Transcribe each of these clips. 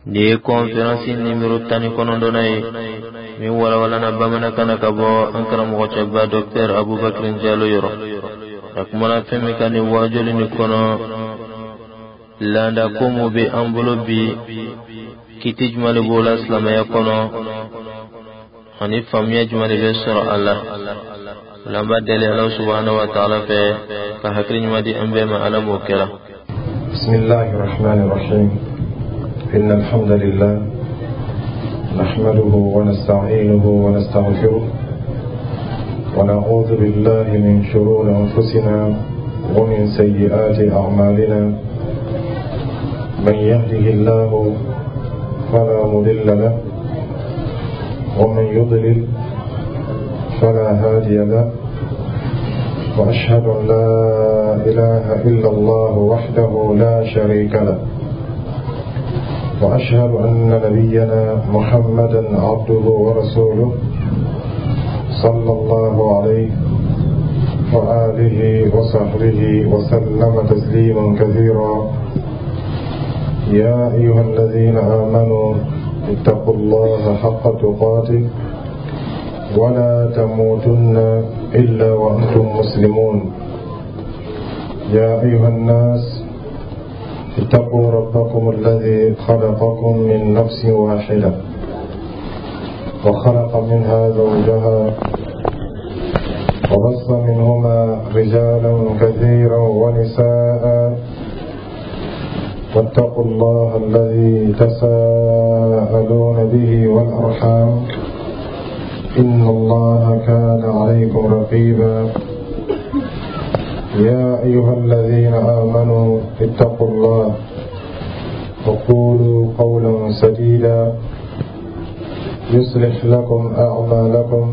Nin ye kɔnferansi nimero 19nan ye min walawalana bamanankan na ka bɔ an karamɔgɔcɛba Dɔktɛr Abubakar Jalo yɔrɔ. A kumana fɛn min kan nin wajuli nin kɔnɔ, laada ko mun bɛ an bolo bi, kiti jumɛn de b'o la silamɛya kɔnɔ, ani faamuya jumɛn de bɛ sɔrɔ a la. O la, an b'a deli Ala subahana wa taala fɛ ka hakili ɲuman di an bɛɛ ma. Ala m'o kɛra. بسم الله الرحمن الرحيم. إن الحمد لله نحمده ونستعينه ونستغفره ونعوذ بالله من شرور أنفسنا ومن سيئات أعمالنا. من يهده الله فلا مضل له ومن يضلل فلا هادي له، وأشهد أن لا إله إلا الله وحده لا شريك له، وأشهد أن نبينا محمدا عبده ورسوله صلى الله عليه وآله وصحبه وسلم تسليما كثيرا. يا أيها الذين آمنوا اتقوا الله حق تقاته ولا تموتن إلا وأنتم مسلمون. يا أيها الناس اتقوا ربكم الذي خلقكم من نفس واحدة وخلق منها زوجها وبث منهما رجالا كثيرا ونساء، واتقوا الله الذي تساءلون به والأرحام إن الله كان عليكم رقيبا. يا أيها الذين آمنوا اتقوا الله وقولوا قولا سديدا يصلح لكم أعمالكم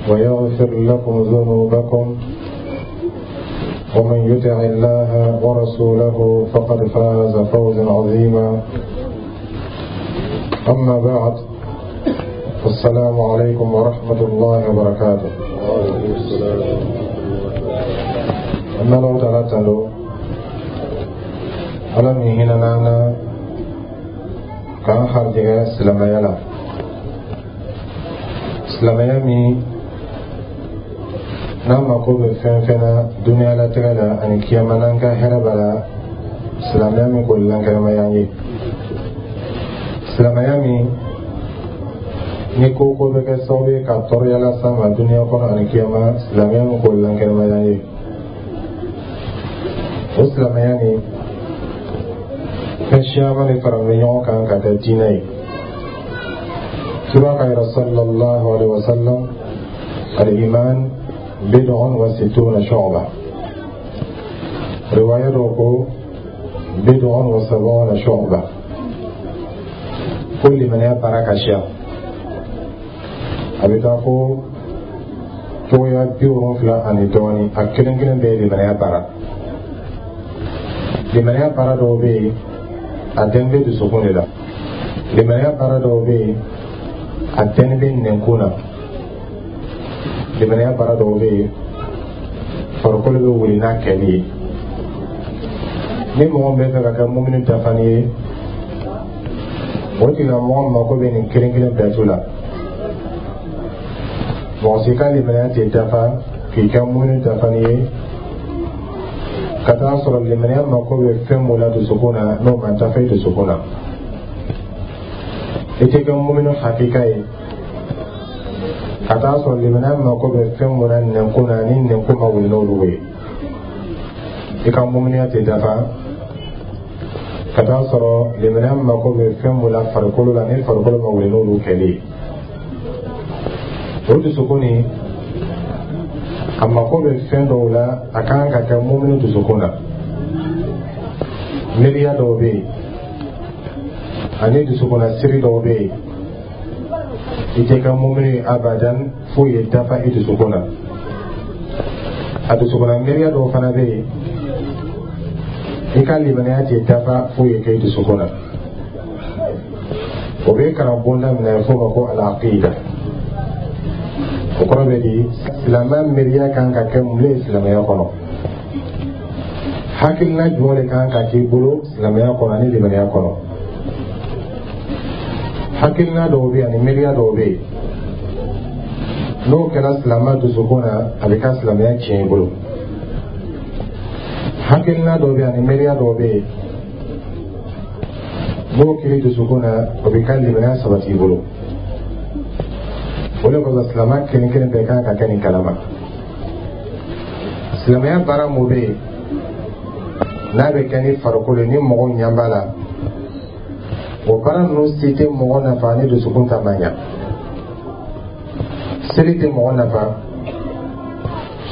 ويغفر لكم ذنوبكم، ومن يطع الله ورسوله فقد فاز فوزا عظيما. أما بعد، السلام عليكم ورحمة الله وبركاته. An bɛ Alahu Taala tando, Ala min hinɛna an na k'an harijɛgɛ silamɛya la, silamɛya min n'an mako bɛ fɛn fɛn na duniyalatigɛ la ani kiyama n'an ka hɛrɛ b'a la, silamɛya min k'o lankɛnɛmaya an ye, silamɛya min ni ko ko bɛ kɛ sababu ye ka tɔɔrɔya las'an ma duniya kɔnɔ ani kiyama, silamɛya min k'o lankɛnɛmaya an ye, o silamɛya nin fɛn siyaman de faralen bɛ ɲɔgɔn kan ka kɛ diinɛ ye. Kira ka yɛrɛ sallallahu alaihi wa sallam: al-iman bid'un wa sittuna shu'ba. Riwaya dɔ ko bid'un wa sab'una shu'ba, ko limaniya baara ka siya, a bɛ taa fo cogoya 70 ani dɔɔnin. A kelen kelen bɛɛ ye limaniya baara. Limaniya baara dɔw bɛ yen, a dɛn bɛ dusukun de la. Limaniya baara dɔw bɛ yen, a dɛn bɛ nɛnkun na. Limaniya baara dɔw bɛ yen, farikolo bɛ wuli n'a kɛli ye. Ni mɔgɔ min bɛ fɛ ka kɛ mumini dafani ye, o tigilamɔgɔ mako bɛ nin kelen kelen bɛɛ tu la. Mɔgɔ si ka limaniya tɛ dafa k'i kɛ mumini dafani ye ka taa sɔrɔ limaniya mako bɛ fɛn mun la dusukun na, n'o ma dafa i dusukun na, i tɛ kɛ mumini hakika ye. Ka taa sɔrɔ limaniya mako bɛ fɛn mun na nɛnkun na, ni nɛnkun ma wuli n'olu ye, i ka muminiya tɛ dafa. Ka taa sɔrɔ limaniya mako bɛ fɛn mun la farikolo la, ni farikolo ma wuli n'olu kɛli ye, o dusukun nin a mako bɛ fɛn dɔw la, a kan ka kɛ mumini dusukun na. Miiriya dɔw bɛ yen ani dusukunna siri dɔw bɛ yen, i tɛ kɛ mumini ye abadan f'o ye dafa i dusukun na. A dusukunna miiriya dɔw fana bɛ yen, i ka limaniya tɛ dafa f'o ye kɛ i dusukun na. O bɛ kalan bonda min na, f'o ma ko al-aqida. O kɔrɔ bɛ di? Silamɛ miiriya kan ka kɛ mun ye silamɛya kɔnɔ? Hakilina jumɛn de kan ka k'i bolo silamɛya kɔnɔ ani limaniya kɔnɔ? Hakilina dɔw bɛ yen ani miiriya dɔw bɛ yen, n'o kɛra silamɛ dusukun na, a bɛ ka silamɛya tiɲɛ i bolo. Hakilina dɔw bɛ yen ani miiriya dɔw bɛ yen, n'o kɛra dusukun na, o bɛ ka limaniya sabati i bolo. O de kosɔn, silamɛ kelen kelen bɛɛ kan ka kɛ nin kalama. Silamɛya baara mun bɛ yen n'a bɛ kɛ ni farikolo ye, ni mɔgɔw ɲɛ b'a la, o baara ninnu si tɛ mɔgɔ nafa ni dusukun ta ma ɲa. Seli tɛ mɔgɔ nafa,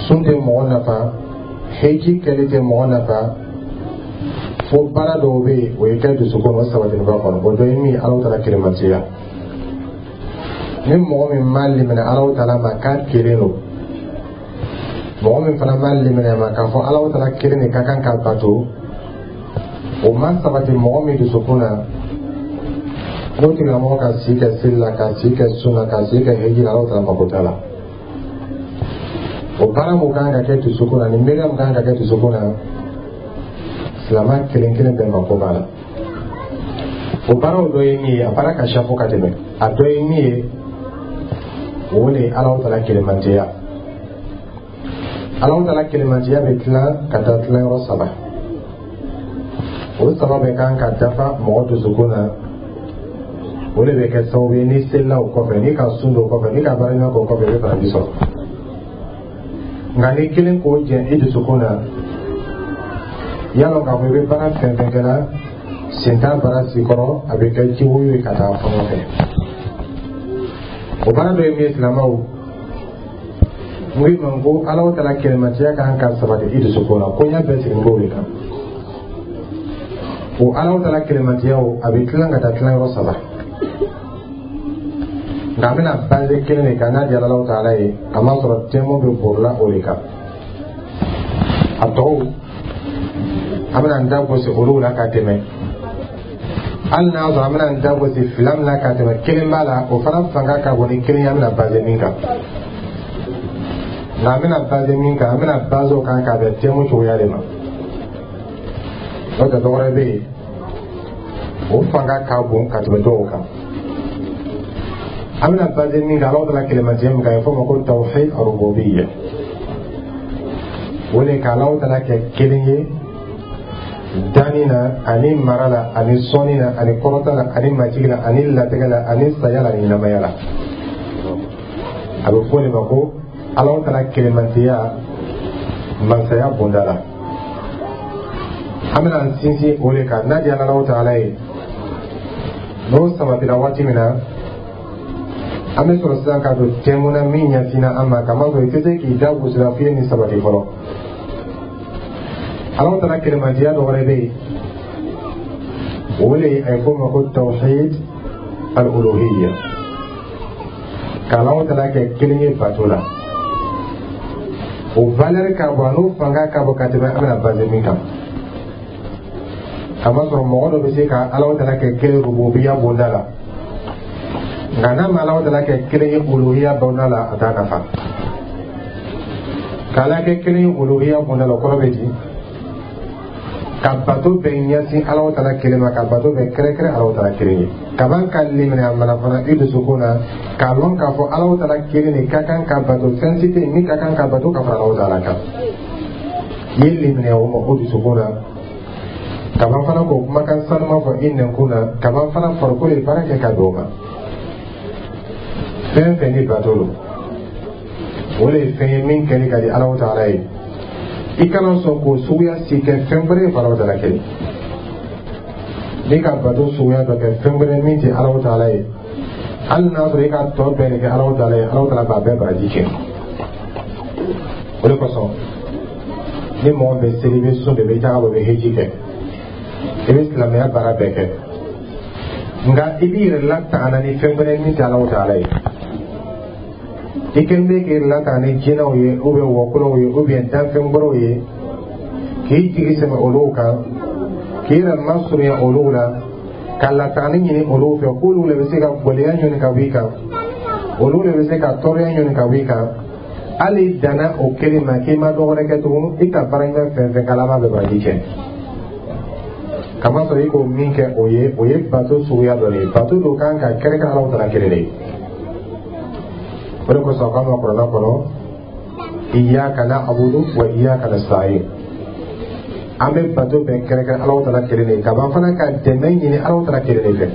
sun tɛ mɔgɔ nafa, heji kɛli tɛ mɔgɔ nafa, fo baara dɔw bɛ yen, o ye kɛ dusukun o sabatiniba kɔnɔ. O dɔ ye min ye, Alahu Taala kelenmatiya. Ni mɔgɔ min ma limaniya Alahu Taala ma k'a kelen don, mɔgɔ min fana ma limaniya ma k'a fɔ Alahu Taala kelen de ka kan ka bato, o ma sabati mɔgɔ min dusukun na, n'o tigilamɔgɔ ka si kɛ seli la, ka si kɛ sun na, ka si kɛ heji la, Alahu Taala mako t'a la. O baara mun kan ka kɛ dusukun na, ni miiriya mun kan ka kɛ dusukun na, silamɛ kelen kelen bɛɛ mako b'a la. O baaraw dɔ ye min ye, a baara ka ca fo ka tɛmɛ, a dɔ ye min ye, o de ye Alahu Taala kelenmantiya. Alahu Taala kelenmantiya bɛ tila ka taa tilayɔrɔ saba. O saba bɛ kan ka dafa mɔgɔ dusukun na. O de bɛ kɛ sababu ye, n'i selila o kɔfɛ, n'i ka sun don o kɔfɛ, n'i ka baara ɲuman kɛ o kɔfɛ, i bɛ baraji sɔrɔ. Nka n'i kelen k'o jɛn i dusukun na, y'a lɔn k'a fɔ i bɛ baara fɛn fɛn kɛra, sen t'a baara si kɔrɔ, a bɛ kɛ jiwoyo ye ka taa fɔlɔ fɛ. O baara dɔ ye min ye, silamɛw, n ko i ma ko Alahu Taala kelenmatiya kan ka sabati i dusukun na. Koɲɛ bɛɛ sigilen b'o de kan. O Alahu Taala kelenmatiya o, a bɛ tilan ka taa tilayɔrɔ saba, nka an bɛna baser kelen de kan n'a diyara Alahu Taala ye. A m'a sɔrɔ thème bɛ borila o de kan. A tɔw, an bɛna n da gosi olu la ka tɛmɛ. Hali n'a sɔrɔ an bɛna n da gosi fila min na ka tɛmɛ, kelen b'a la, o fana fanga ka bon ni kelen ye, an bɛna baser min kan. Nka an bɛna baser min kan, an bɛna baser o kan k'a bɛn thème cogoya de ma. N'o tɛ, dɔwɛrɛ bɛ yen, o fanga ka bon ka tɛmɛ dɔw kan. An bɛna baser min kan, Alahu Taala kelenmatiya min kan, a bɛ fɔ o ma ko tawhid arububiyya. O de ka Alahu Taala kɛ kelen ye danni na, ani mara la, ani sɔnni na, ani kɔrɔta la, ani majigi la, ani latigɛ la, ani saya la, ani ɲɛnamaya la. A bɛ fɔ o de ma ko Alahu Taala kelenmatiya masaya bonda la. An bɛna an sinsin o de kan n'a diyara Alahu Taala ye. N'o sabatira waati min na, an bɛ sɔrɔ sisan ka don thème na min ɲɛsinna an ma, kamasɔrɔ i tɛ se k'i da gosi la f'i ye nin sabati fɔlɔ. Alahu Taala kelenmatiya dɔ wɛrɛ bɛ yen, o de a ye fɔ o ma ko tawhid al-uluhiyya, ka Alahu Taala kɛ kelen ye bato la. O valeur ka bon, a n'o fanga ka bon ka tɛmɛ an bɛna baser min kan. Kamasɔrɔ mɔgɔ dɔ bɛ se ka Alahu Taala kɛ kelen rububiya bonda la, nka n'a ma Alahu Taala kɛ kelen ye uluhiya bonda la, a t'a nafa. K'Ala kɛ kelen ye uluhiya bonda la, o kɔrɔ bɛ di ka bato bɛɛ ɲɛsin Alahu Taala kelen ma, ka bato bɛɛ kɛrɛkɛrɛ Alahu Taala kelen ye. Kaban ka limaniya mana fana i dusukun na, k'a lɔn k'a fɔ Alahu Taala kelen de ka kan ka bato, fɛn si tɛ yen min ka kan ka bato ka fara Alahu Taala kan. I ye limaniya o ma o dusukun na, kaban fana k'o kumakan sanuma fɔ i nɛnkun na, kaban fana farikolo ye baara kɛ ka don o ma. Fɛn fɛn ni bato don, o de ye fɛn ye min kɛli ka di Alahu Taala ye. I kana sɔn k'o suguya si kɛ fɛn wɛrɛ ye fo Alahu Taala kelen. N'i ka bato suguya dɔ kɛ fɛn wɛrɛ min tɛ Alahu Taala ye, hali n'a sɔrɔ i ka tɔ bɛɛ de kɛ Alahu Taala ye, Alahu Taala b'a bɛɛ baraji kɛ. O de kosɔn, ni mɔgɔ bɛ seli, i bɛ sun de, i bɛ jaga bɔ, i bɛ heji kɛ, i bɛ silamɛya baara bɛɛ kɛ, nka i b'i yɛrɛ latanga ni fɛn wɛrɛ min tɛ Alahu Taala ye, i kɛlen bɛ k'i yɛrɛ latanga ni jinɛw ye, ou bien wɔkulɔw ye, ou bien danfɛn wɛrɛw ye, k'i jigi sɛmɛ olu kan, k'i yɛrɛ masurunya olu la, ka latangani ɲini olu fɛ, k'olu de bɛ se ka gɛlɛya ɲini ka bɔ i kan, olu de bɛ se ka tɔɔrɔya ɲini ka bɔ i kan. Hali i danna o kelen ma k'i ma dɔ wɛrɛ kɛ tugun, i ka baara ɲuman fɛn fɛn k'ala b'a bɛɛ baraji kɛ. Kamasɔrɔ i k'o min kɛ, o ye bato suguya dɔ de ye. Bato dɔ kan ka kɛrɛnkɛrɛn Alahu Taala kelen de ye. O de kosɔn a k'an ma Kuranɛ kɔnɔ: "Iyyaka na'budu wa iyyaka nasta'in." An bɛ bato bɛɛ kɛrɛnkɛrɛn Alahu Taala kelen de ye, ka ban fana ka dɛmɛ ɲini Alahu Taala kelen de fɛ.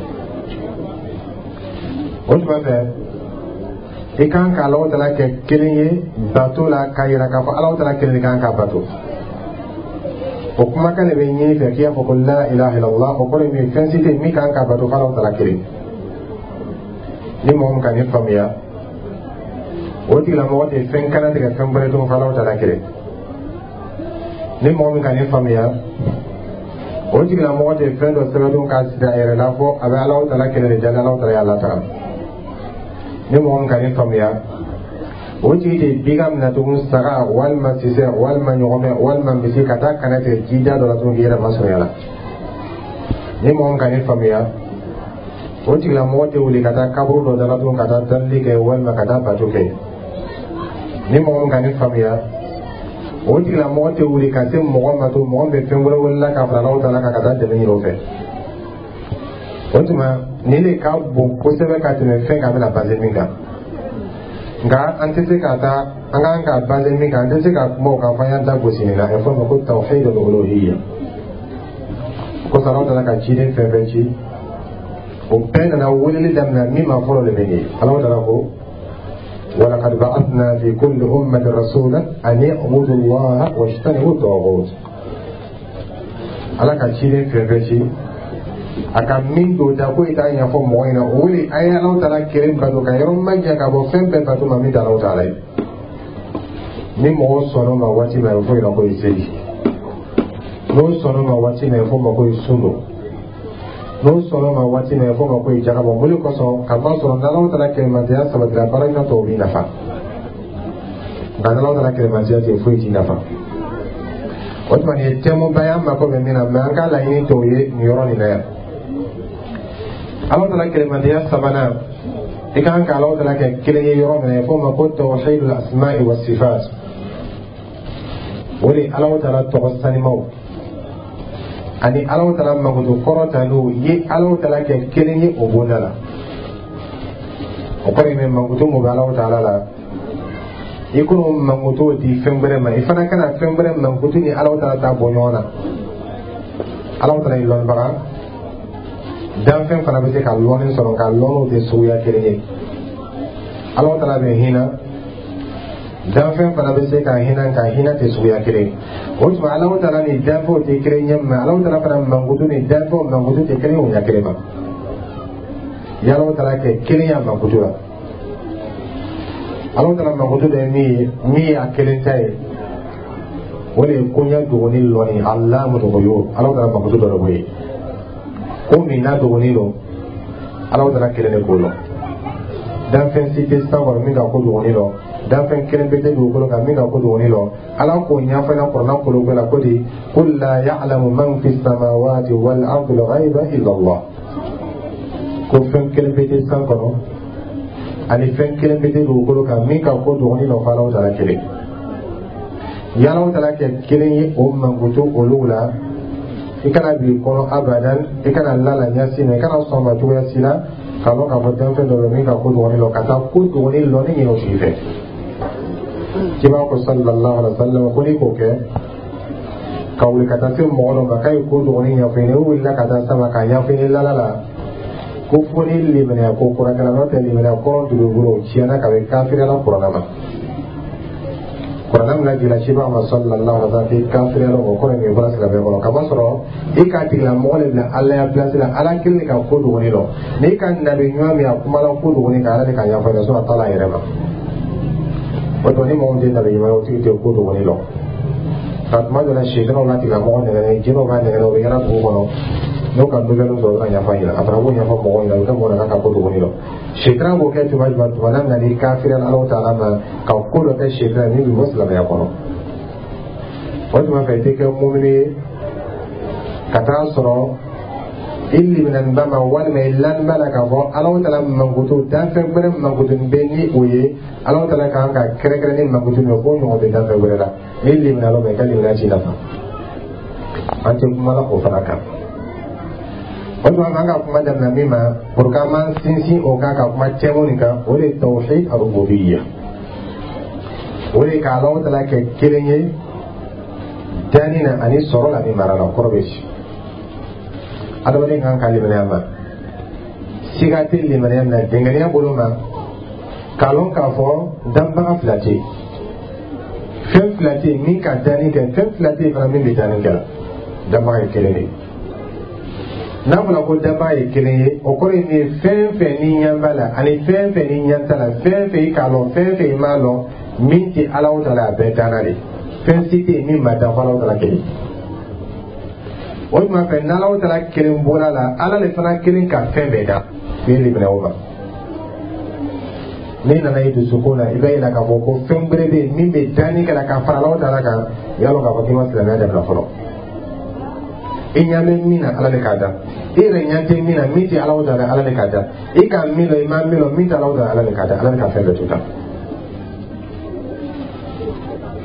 O tuma fɛ, i kan ka Alahu Taala kɛ kelen ye bato la, k'a yira k'a fɔ Alahu Taala kelen de kan ka bato. O kumakan de bɛ ɲini fɛ k'i y'a fɔ ko "la ilaha illallah". O kɔrɔ ye min ye? Fɛn si tɛ yen min kan ka bato f'Alahu Taala kelen. Ni mɔgɔ min ka nin faamuya, o tigilamɔgɔ tɛ fɛn kana tigɛ fɛn wɛrɛ dɔn f'Alahu Taala kelen. Ni mɔgɔ min ka nin faamuya, o tigilamɔgɔ tɛ fɛn dɔ sɛbɛn dɔn k'a siri a yɛrɛ la fɔ a bɛ Alahu Taala kelen de jaabi, Alahu Taala y'a lataga. Ni mɔgɔ min ka nin faamuya, o tigi tɛ bigan minɛ tugun, saga walima sisɛ walima ɲɔgɔmɛ walima misi, ka taa kanɛ tigɛ jija dɔ la tugun k'i yɛrɛ masurunya la. Ni mɔgɔ min ka nin faamuya, o tigilamɔgɔ tɛ wuli ka taa kaburu dɔ da la tugun ka taa dalili kɛ walima ka taa bato kɛ. Ni mɔgɔ min ka nin faamuya, o tigilamɔgɔ tɛ wuli ka se mɔgɔ ma to mɔgɔ min bɛ fɛn wɛrɛ wele ka fara Alahu Taala kan ka taa dɛmɛ ɲini o fɛ. O tuma, nin de ka bon kosɛbɛ ka tɛmɛ fɛn kan bɛna base min kan. Nka an tɛ se ka taa an kan ka base min kan, an tɛ se ka kuma o kan f'an y'an da gosi nin na. A bɛ fɔ o ma ko tawhidul uluhiyya. Kosɔn Alahu Taala ka ciden fɛn fɛn ci, o bɛɛ nana weleli daminɛ min ma fɔlɔ de bɛ nin ye. Alahu Taala ko: "ولقد بعثنا في كل أمة رسولا أن اعبدوا الله واجتنبوا الطاغوت". Ala ka ciden fɛn fɛn ci, a ka min don da ko i t'a ɲɛfɔ mɔgɔ ɲɛna, o wele a ye Alahu Taala kelen bato, ka yɔrɔ ma jan ka bɔ fɛn bɛɛ bato ma min tɛ Alahu Taala ye. Ni mɔgɔw sɔnn'o ma waati min, a bɛ fɔ ɲɛna ko ye seli. N'o sɔnn'o ma waati min, a bɛ fɔ o ma ko ye sun don. N'o sɔnn'o ma waati min, a bɛ fɔ o ma ko ye jaka bɔ. Mun de kosɔn? Ka ban sɔrɔ n'Alahu Taala kɛlɛmantɛya sabatira, baara ɲuman tɔw b'i nafa. Nka n'Alahu Taala kɛlɛmantɛya tɛ, foyi t'i nafa. O tuma, nin ye thème ba ye an mako bɛ min na, mɛ an k'a laɲini tɔw ye nin yɔrɔ nin na yan. Alahu Taala kɛlɛmantɛya sabanan, i kan ka Alahu Taala kɛ kelen ye yɔrɔ min na, a bɛ fɔ o ma ko tawhidul asma'i wa sifat. O de ye Alahu Taala tɔgɔ sanimaw ani Alahu Taala mankutu kɔrɔ n'o ye. Alahu Taala kɛ kelen ye o bonda la, o kɔrɔ ye min? Mankutu mun bɛ Alahu Taala la, i kono mankutu di fɛn wɛrɛ ma, i fana kana fɛn wɛrɛ mankutu ni Alahu Taala ta bɔ ɲɔgɔn na. Alahu Taala ye lɔnnibaga, danfɛn fana bɛ se ka lɔnni sɔrɔ, nka lɔnniw tɛ suguya kelen ye. Alahu Taala bɛ hinɛ, danfɛn fana bɛ se ka hinɛ, nka hinɛ tɛ suguya kelen ye. O tuma, Alahu Taala ni danfɛnw tɛ kelen ye, mɛ Alahu Taala fana mankutu ni danfɛnw mankutu tɛ kelen ye o ɲɛ kelen ma. Alahu Taala kɛ kelen ye mankutu la. Alahu Taala mankutu dɔ ye min ye, min ye a kelen ta ye, o de ye koɲɛ dogoni lɔnni, Allamul ghuyub. Alahu Taala mankutu dɔ de b'o ye. Ko min n'a dogoni don, Alahu Taala kelen de k'o lɔn. Danfɛn si tɛ san kɔnɔ min ka ko dogoni lɔn, danfɛn kelen bɛ tɛ dugukolo kan min ka ko dogoni lɔn. Ala k'o ɲɛfɔ ɲɛna Kuranɛ kolo bɛɛ la ko di: "Qul la ya'lamu man fi samawati wal ardi al-ghayba illa Allah". Ko fɛn kelen bɛ tɛ san kɔnɔ ani fɛn kelen bɛ tɛ dugukolo kan min ka ko dogoni lɔn fo Alahu Taala kelen. Alahu Taala kɛ kelen ye o mankutu olu la. I kana bi kɔnɔ abadan, i kana la ɲɛsi ma, i kana sɔn ma cogoya si la k'a lɔn k'a fɔ danfɛn dɔ bɛ min ka ko dogoni lɔn, ka taa ko dogoni lɔnni ɲini o tigi fɛ. Kiba ko sallallahu alaihi wa sallam ko n'i k'o kɛ, ka wuli ka taa se mɔgɔ dɔ ma k'a ye ko dogoni ɲɛfɔ i ɲɛna, o wulila ka taa sama k'a ɲɛfɔ i ɲɛna lala la, ko fo ni limaniya ko kura kɛra, n'o tɛ limaniya kɔrɔ dugukolo tiɲɛna ka bɛ kafiriya la Kuranɛ ma. Kuranɛ min lajigila ciba ma sallallahu alaihi wa sallam k'i kafiriya la, o kɔrɔ ye min ye? Bɔra silamɛya kɔnɔ, kamasɔrɔ i k'a tigilamɔgɔ de bila Ala ya place la. Ala kelen de ka ko dogoni lɔn. N'i ka nabi ɲuman min a kumala ko dogoni kan, Ala de ka ɲɛfɔ ɲɛna, a t'a la a yɛrɛ ma. O tuma, ni mɔgɔ min tɛ nabi ɲuman ye, o tigi tɛ ko dogoni lɔn. Nka tuma dɔ la, sitanaw b'a tigilamɔgɔ nɛgɛ, jinɛw b'a nɛgɛ, o bɛ yala dugu kɔnɔ, n'o ka nouvelle sɔrɔ, o bɛ na ɲɛfɔ a ɲɛna. A fana b'o ɲɛfɔ mɔgɔw ɲɛna, o bɛ kɛ mɔgɔ la k'a ka ko dogoni lɔn. Sitana b'o kɛ tuma jumɛn? Tuma n'a nana i kafiriya Alahu Taala ma, ka ko dɔ kɛ sitana min bɛ bɔ silamɛya kɔnɔ. O tuma fɛ, i tɛ kɛ mumini ye ka taa sɔrɔ i liminɛniba ma walima i laniba la k'a fɔ Alahu Taala mankutu danfɛn wɛrɛ mankutu bɛ ni o ye. Alahu Taala kan ka kɛrɛnkɛrɛn ni mankutu min ye, k'o ɲɔgɔn tɛ danfɛn wɛrɛ la. N'i liminɛ ma, i ka limaniya t'i nafa. An tɛ kuma la o fana kan. O tuma an ka kuma daminɛ min ma, pour que an b'an sinsin o kan ka kuma thème nin kan, o de ye tawhid arububiyya. O de ka Alahu Taala kɛ kelen ye danni na ani sɔrɔ la ni mara la. O kɔrɔ bɛ ci adamaden kan ka limaniya ma, siga tɛ limaniya min na, dɛngɛniya bolo ma, k'a lɔn k'a fɔ danbaga fila tɛ yen, fɛn fila tɛ yen min ka danni kɛ, fɛn fila tɛ yen fana min bɛ danni kɛ la. Danbaga ye kelen de ye. N'a fɔra ko danbaga ye kelen ye, o kɔrɔ ye min ye, fɛn fɛn ni ɲɛ b'a la ani fɛn fɛn ni ɲɛ t'a la, fɛn fɛn i k'a lɔn, fɛn fɛn i m'a lɔn, min tɛ Alahu Taala, a bɛɛ danna de. Fɛn si tɛ yen min ma dan fo Alahu Taala kelen. O tuma fɛ, n'Alahu Taala kelen bɔra la, Ala de fana kelen ka fɛn bɛɛ dan. I ye limaniya o ma. N'i nana i dusukun na, i b'a yira k'a fɔ ko fɛn wɛrɛ bɛ yen min bɛ danni kɛ la ka fara Alahu Taala kan, i y'a lɔn k'a fɔ k'i ma silamɛya dabila fɔlɔ. I ɲɛ bɛ min na, Ala de k'a dan. I yɛrɛ ɲɛ tɛ min na, min tɛ Alahu Taala, Ala de k'a dan. I ka min lɔn, i ma min lɔn, min tɛ Alahu Taala, Ala de k'a dan. Ala de ka fɛn bɛɛ to dan.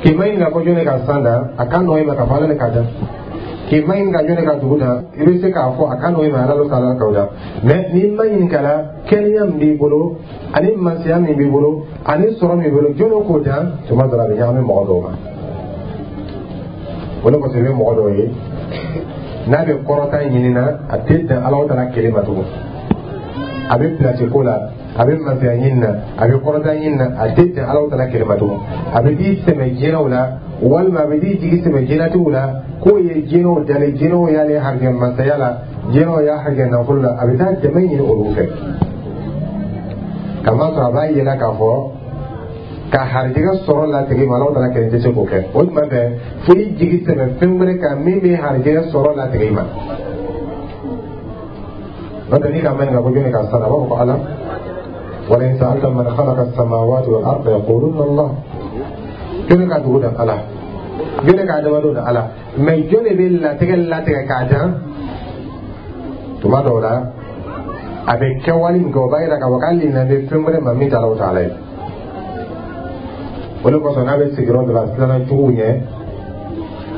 K'i ma ɲininka ko jɔn de ka san dan, a ka nɔgɔ i ma k'a fɔ Ala de k'a dan. K'i ma ɲininka jɔn de ka dugu dan, i bɛ se k'a fɔ a ka nɔgɔ i ma, Ala Taala k'o dan. Mais n'i ma ɲininka la, kɛnɛya min b'i bolo ani masaya min b'i bolo ani sɔrɔ min b'i bolo, jɔn de k'o dan? Tuma dɔ la, a bɛ ɲagami mɔgɔ dɔw ma. O de kosɔn, i bɛ mɔgɔ dɔw ye, n'a bɛ kɔrɔta ɲini na, a tɛ dan Alahu Taala kelen ma tugun. A bɛ pilasi ko la, a bɛ masaya ɲini na, a bɛ kɔrɔta ɲini na, a tɛ dan Alahu Taala kelen ma tugun. A bɛ t'i sɛmɛ jinɛw la, walima a bɛ t'i jigi sɛmɛ jinɛtigiw la, k'o ye jinɛw dalen, jinɛw y'ale harijɛ masaya la, jinɛw y'a harijɛ nafolo la. A bɛ taa dɛmɛ ɲini olu fɛ, kamasɔrɔ a b'a yela k'a fɔ ka harijɛgɛ sɔrɔ latigɛ ma, Alahu Taala kelen tɛ se k'o kɛ. O tuma fɛ, fo i jigi sɛmɛ fɛn wɛrɛ kan min bɛ harijɛgɛ sɔrɔ latigɛ i ma. N'o tɛ, n'i ka ma ɲininka ko jɔnni ka san, a b'a fɔ ko Ala. Wala in sa'alta man khalaqa as-samawati wal arda yaquluna Allah. Jɔnni ka dugu dan? Ala. Jɔnni ka adamadenw dan? Ala. Mais jɔnni bɛ latigɛ latigɛ k'a dan? Tuma dɔw la, a bɛ kɛwale min kɛ, o b'a yira k'a fɔ k'ale ɲinɛ bɛ fɛn wɛrɛ ma min tɛ Alahu Taala ye. O de kosɔn, n'a bɛ sigiyɔrɔ dɔ la, siranna juguw ɲɛ,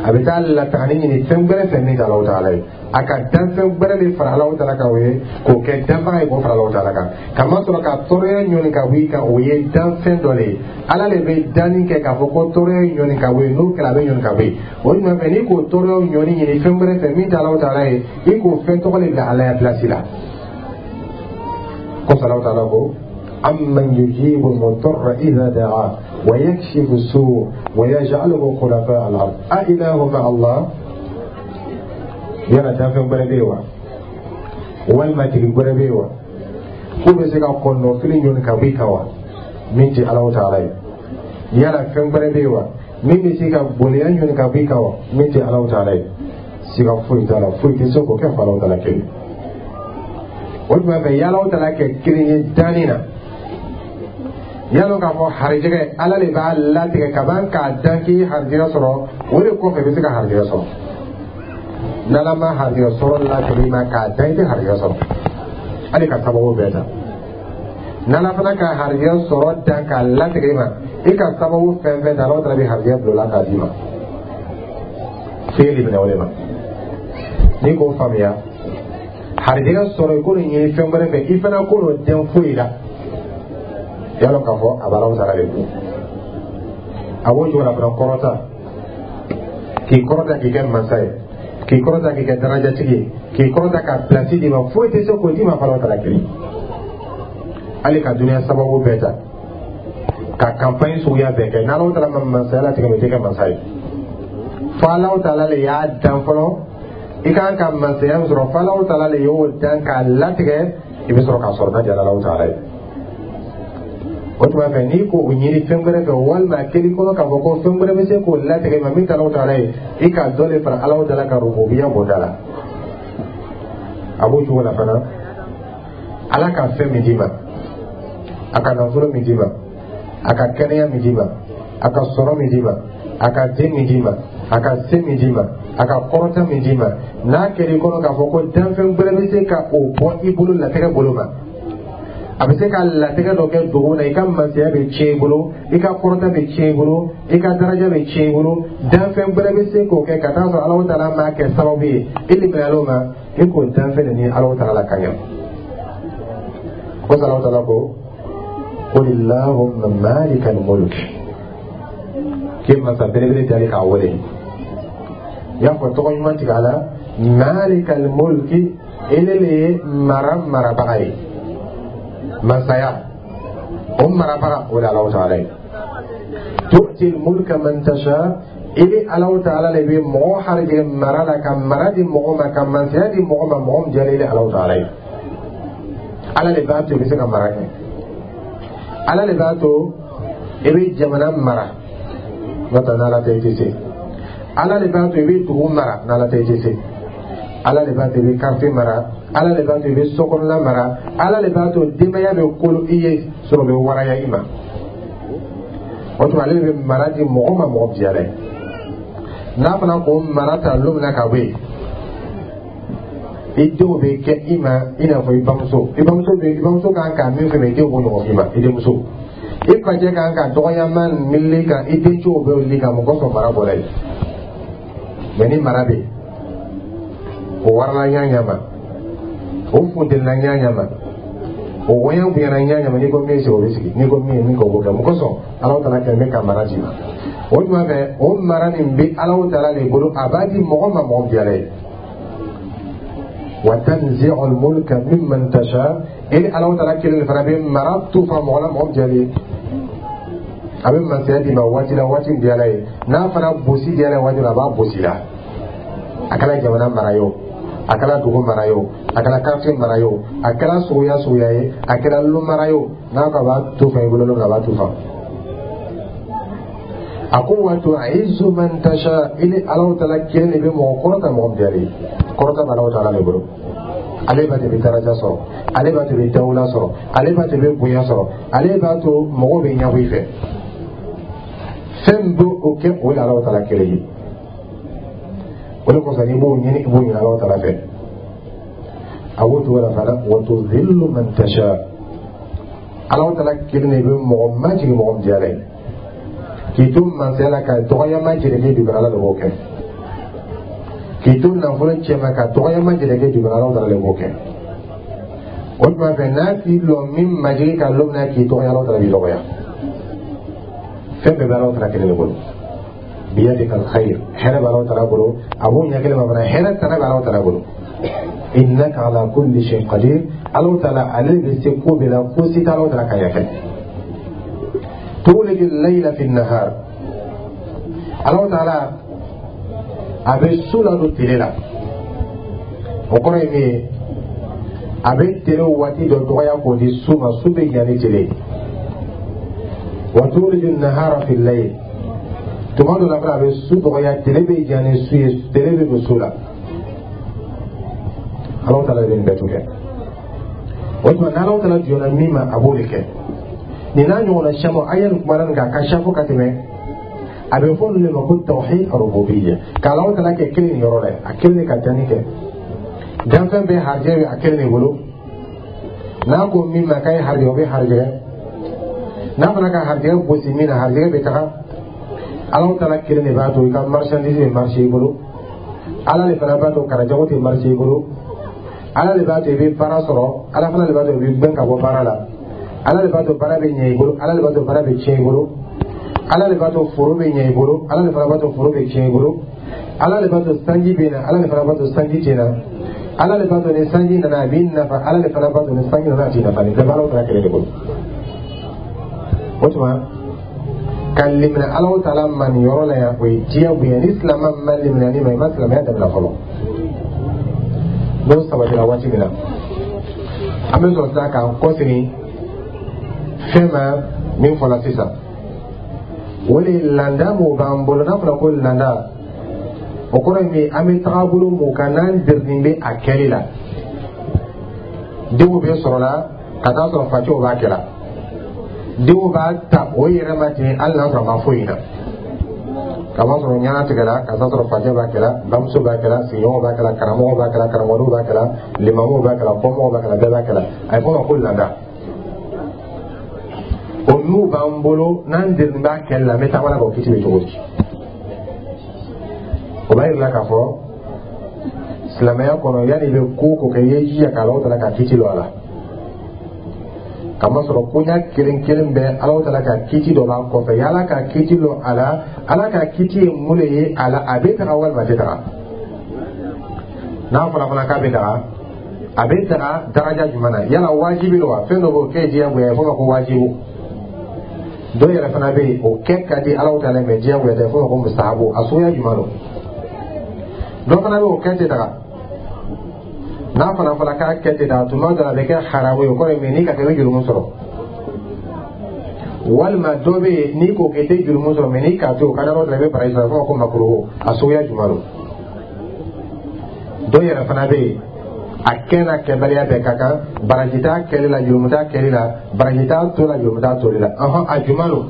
a bɛ taa latagani ɲini fɛn wɛrɛ fɛ min tɛ Alahu Taala ye. A ka danfɛn wɛrɛ de fara Alahu Taala kan, o ye k'o kɛ danbaga ye, k'o fara Alahu Taala kan, kamasɔrɔ ka tɔɔrɔya ɲɔni ka bɔ i kan, o ye danfɛn dɔ de ye. Ala de bɛ danni kɛ k'a fɔ ko tɔɔrɔya ɲɔni ka bɔ yen, n'o kɛra, a bɛ ɲɔni ka bɔ yen. O ɲuman fɛ, n'i k'o tɔɔrɔya ɲɔni ɲini fɛn wɛrɛ fɛ min tɛ Alahu Taala ye, i k'o fɛn tɔgɔ de bila Ala ya pilasi la. Kosɔn, Alahu Taala ko: amman yujibu al-mudarra idha da'a wa yakshifu as-su' wa yaj'alukum khulafa al-ard a ilahu ma'a Allah. Yala danfɛn wɛrɛ bɛ yen wa, walima tigi wɛrɛ bɛ yen wa, k'o bɛ se ka kɔnɔfili ɲɔni ka bɔ i kan wa, min tɛ Alahu Taala ye? Yala fɛn wɛrɛ bɛ yen wa, min bɛ se ka boliya ɲɔni ka bɔ i kan wa, min tɛ Alahu Taala ye? Siga foyi t'a la, foyi tɛ se k'o kɛ fo Alahu Taala kelen. O tuma fɛ, y'Alahu Taala kɛ kelen ye danni na, yalo k'a fɔ harijɛgɛ, Ala de b'a latigɛ kaban k'a dan k'i harijɛgɛ sɔrɔ. O de kɔfɛ, i bɛ se ka harijɛgɛ sɔrɔ. N'Ala ma harijɛgɛ sɔrɔ latigɛ i ma k'a dan, i tɛ harijɛgɛ sɔrɔ, hali ka sababu bɛɛ ta. N'Ala fana ka harijɛgɛ sɔrɔ dan k'a latigɛ i ma, i ka sababu fɛn fɛn ta, Ala taala bɛ harijɛgɛ bila o la k'a d'i ma. F'e de minɛ o de ma. N'i k'o faamuya, harijɛgɛ sɔrɔ, i k'o ɲini fɛn wɛrɛ fɛ, i fana k'o dɛn foyi la, y'a lɔn k'a fɔ a b'Ala taala de bolo. A b'o cogo la fana, kɔrɔta, k'i kɔrɔta k'i kɛ masa ye, k'i kɔrɔta k'i kɛ darajatigi ye, k'i kɔrɔta ka pilasi d'i ma, foyi tɛ se k'o d'i ma f'Ala taala kelen. Hali ka dunuya sababu bɛɛ ta ka campagne suguya bɛɛ kɛ, n'Ala taala ma masaya latigɛ, o tɛ kɛ masa ye. Fo Ala taala de y'a dan fɔlɔ, i kan ka masaya min sɔrɔ, fo Ala taala de y'o dan k'a latigɛ, i bɛ sɔrɔ k'a sɔrɔ n'a diyara Ala taala ye. O tuma fɛ, n'i k'o ɲini fɛn wɛrɛ fɛ, walima keli kɔnɔ k'a fɔ ko fɛn wɛrɛ bɛ se k'o latigɛ ma min tɛ Ala taala ye, i ka dɔ de fara Ala taala ka rububiya bonda la. A b'o cogo la fana, Ala ka fɛn min d'i ma, a ka nafolo min d'i ma, a ka kɛnɛya min d'i ma, a ka sɔrɔ min d'i ma, a ka den min d'i ma, a ka se min d'i ma, a ka kɔrɔta min d'i ma, n'a kɛra i kɔnɔ k'a fɔ ko danfɛn wɛrɛ bɛ se ka o bɔ i bolo latigɛ bolo ma, a bɛ se ka latigɛ dɔ kɛ dogo na, i ka masaya bɛ tiɲɛ i bolo, i ka kɔrɔta bɛ tiɲɛ i bolo, i ka daraja bɛ tiɲɛ i bolo, danfɛn wɛrɛ bɛ se k'o kɛ ka taa sɔrɔ Alahu taala m'a kɛ sababu ye, i limaniyal'o ma. I k'o danfɛn de ni Alahu Taala ka ɲa. Ko Alahu Taala ko: "Qul illahumma malikal mulk." K'e masa belebele dali k'a wele, i y'a fɔ tɔgɔ ɲuman tigɛ a la: malikal mulki, ele le ye mara marabaga ye, masaya o marabaga, o de Alahu Taala ye. Tu'til mulka man tasha, i bɛ Alahu Taala le bɛ mɔgɔ harijɛgɛ mara la, ka mara di mɔgɔ ma, ka masaya di mɔgɔ ma, mɔgɔ min diyara ile Alahu Taala ye. Ala le b'a to i bɛ se ka mara kɛ, Ala le b'a to i bɛ jamana mara, n'o tɛ n'Ala tɛ, i tɛ se. Ala le b'a to i bɛ dugu mara, n'Ala tɛ, i tɛ se. Ala le b'a to i bɛ quartier mara, Ala le b'a to i bɛ sokɔnɔna mara, Ala le b'a to denbaya bɛ kolo i ye sɔrɔ bɛ waraya i ma. O tuma, ale de bɛ mara di mɔgɔ ma, mɔgɔ diyara ye. N'a fana k'o mara ta don min na ka bɔ yen, i denw bɛ kɛ i ma i n'a fɔ i bamuso. I bamuso bɛ, i bamuso kan ka min fɛ, i denw b'o ɲɔgɔn f'i ma. I denmuso, i facɛ kan ka dɔgɔyama miiri kan, i dencɛw bɛ wuli kan. Mɔgɔ sɔn mara bɔra yen mɛ, ni mara bɛ yen, o warala ɲa ɲa ma, o funtenila ɲa ɲa ma, o wɔɲa bonyana ɲa ɲa ma, n'i ko min sigi, o bɛ sigi, n'i ko min ye min kɛ, o b'o kɛ. Mɔgɔ sɔn Alahu Taala kɛ bɛ ka mara d'i ma. O tuma fɛ, o mara nin bɛ Alahu Taala de bolo, a b'a di mɔgɔ ma, mɔgɔ diyara ye. Wa tanzi'ul mulka mimman tasha, e Alahu Taala kelen de fana bɛ mara tufa mɔgɔ la, mɔgɔ diyara ye. A bɛ masaya d'i ma waati la, waati min diyara ye. N'a fana bosi diyara ye waati min, a b'a bosi la. A kɛra jamana mara ye o, a kɛra dugu mara ye o, a kɛra quartier mara ye o, a kɛra suguya suguya ye, a kɛra lu mara ye o, n'a ko a b'a tufa i bolo, a b'a tufa. A ko: wa tu'izzu man tasha, i ni Alahu Taala kelen de bɛ mɔgɔ kɔrɔta, mɔgɔ min diyara ye. Kɔrɔta bɛ Alahu Taala de bolo. Ale b'a to i bɛ daraja sɔrɔ, ale b'a to i bɛ dawula sɔrɔ, ale b'a to i bɛ bonya sɔrɔ, ale b'a to mɔgɔw bɛ ɲɛbɔ i fɛ. Fɛn min b'o o kɛ, o ye Alahu Taala kelen ye. O de kosɔn, n'i b'o ɲini, i b'o ɲini Alahu Taala fɛ. A b'o cogo la fana: wa tuzillu man tasha, Alahu Taala kelen de bɛ mɔgɔ majigin, mɔgɔ min diyara ye. K'i to mansaya la ka dɔgɔyama jɛrɛkɛ dugukɔrɔ, Ala de b'o kɛ. K'i to nafolo cɛma ka dɔgɔyama jɛrɛkɛ dugukɔrɔ, Ala Taala de b'o kɛ. O tuma fɛ, n'a k'i lɔ min majigi ka lɔ min na k'i dɔgɔya, Ala Taala b'i dɔgɔya. Fɛn bɛɛ bɛ Ala Taala kelen de bolo. Biyadika alkhayr, hɛrɛ bɛ Ala Taala bolo, a b'o ɲɛ kelen ma fana, hɛrɛ tana bɛ Ala Taala bolo. Innaka ala kulli shay'in qadir, Ala Taala ale bɛ se ko bɛɛ la, ko si tɛ Ala Taala ka ɲɛ kɛ. Tuliju layla fi nahar, Ala Taala a bɛ su ladon tile la. O kɔrɔ ye min ye, a bɛ tile waati dɔ dɔgɔya k'o di su ma, su bɛ ɲa ni tile ye. Wa tuliju nahara fi layl, tuma dɔ la fana, a bɛ su dɔgɔya, tile bɛ jan ni su ye, tile bɛ don su la. Ala Taala de bɛ nin bɛɛ to kɛ. O tuma, n'Ala Taala jɔnna min ma, a b'o de kɛ. Nin n'a ɲɔgɔnna caman, a ye nin kuma nin kan, a ka ca fo ka tɛmɛ. A bɛ fɔ olu de ma ko tawhid rububiyya, ka Ala Taala kɛ kelen nin yɔrɔ la, a kelen de ka danni kɛ, danfɛn bɛɛ harijɛ bɛ a kelen de bolo. N'a ko min ma k'a ye harijɛ, o bɛ harijɛ. N'a fana ka harijɛ gosi min na, harijɛ bɛ taga. Ala Taala kelen de b'a to i ka marchandise bɛ marché i bolo. Ala de fana b'a to karajago tɛ marché i bolo. Ala de b'a to i bɛ baara sɔrɔ, Ala fana de b'a to i bɛ gbɛn ka bɔ baara la. Ala de b'a to baara bɛ ɲɛ i bolo, Ala de b'a to baara bɛ tiɲɛ i bolo. Ala de b'a to foro bɛ ɲɛ i bolo, Ala de fana b'a to foro bɛ tiɲɛ i bolo. Ala de b'a to sanji bɛ na, Ala de fana b'a to sanji tɛ na. Ala de b'a to ni sanji nana, a b'i nafa. Ala de fana b'a to ni sanji nana, a t'i nafa. Nin bɛɛ bɛ Ala Taala kelen de bolo. O tuma, ka limina Ala Taala ma nin yɔrɔ la yan, o ye diyagoya. Ni silamɛ ma limina ni ma, i ma silamɛya dabila fɔlɔ. N'o sabatira waati min na, an bɛ sɔrɔ sisan k'an kɔsegin fɛn ma min fɔla sisan, o de ye landa mun b'an bolo. N'a fɔra ko landa, o kɔrɔ ye min ye, an bɛ tagabolo mun kan, n'an dirilen bɛ a kɛli la. Denw bɛ sɔrɔ la ka taa sɔrɔ facɛw b'a kɛ la, denw b'a ta o yɛrɛ ma ten, hali n'a sɔrɔ a ma foyi na. Ka b'a sɔrɔ ɲɛna tigɛra ka taa sɔrɔ facɛ b'a kɛla, bamuso b'a kɛla, sigiɲɔgɔnw b'a kɛla, karamɔgɔw b'a kɛla, karamɔgɔw b'a kɛla, limamuw b'a kɛla, kɔmɔgɔw b'a kɛla, bɛɛ b'a kɛla. A ye fɔ o ma ko landa. O n'u b'an bolo, n'an delilen b'a kɛli la, an bɛ taama la k'o kiti bɛ cogo di? O b'a yira k'a fɔ Silamɛya kɔnɔ, yanni i bɛ ko o ko kɛ, i ye jija ka Alahu Taala ka kiti lɔn a la, kamasɔrɔ koɲa kelen kelen bɛɛ, Alahu Taala ka kiti dɔ b'a kɔfɛ. Yala ka kiti lɔn a la, Ala ka kiti ye mun de ye a la? A bɛ taga walima a tɛ taga? N'a fɔra fana k'a bɛ taga, a bɛ taga daraja jumɛn na? Yala wajibi don wa? Fɛn dɔ b'o kɛ diyagoya ye, f'o ma ko wajibu. Dɔw yɛrɛ fana bɛ yen, o kɛ ka di Alahu Taala ye, mɛ diyagoya tɛ, f'o ma ko mustahabu. A suguya jumɛn don? Dɔ fana bɛ o kɛ tɛ taga. N'a fana fɔra k'a kɛ tɛ taga, tuma dɔ la a bɛ kɛ haramu ye, o kɔrɔ ye min? N'i ka kɛ, i bɛ jurumu sɔrɔ. Walima dɔ bɛ yen, n'i k'o kɛ, i tɛ jurumu sɔrɔ, mɛ n'i k'a to o ka di Alahu Taala, i bɛ baraji sɔrɔ, f'o ma ko makuruhu. A suguya jumɛn don? Dɔw yɛrɛ fana bɛ yen, a kɛ n'a kɛbaliya bɛɛ ka kan, baraji t'a kɛli la, jurumu t'a kɛli la, baraji t'a to la, jurumu t'a toli la. Ɔhɔn, a jumɛn don?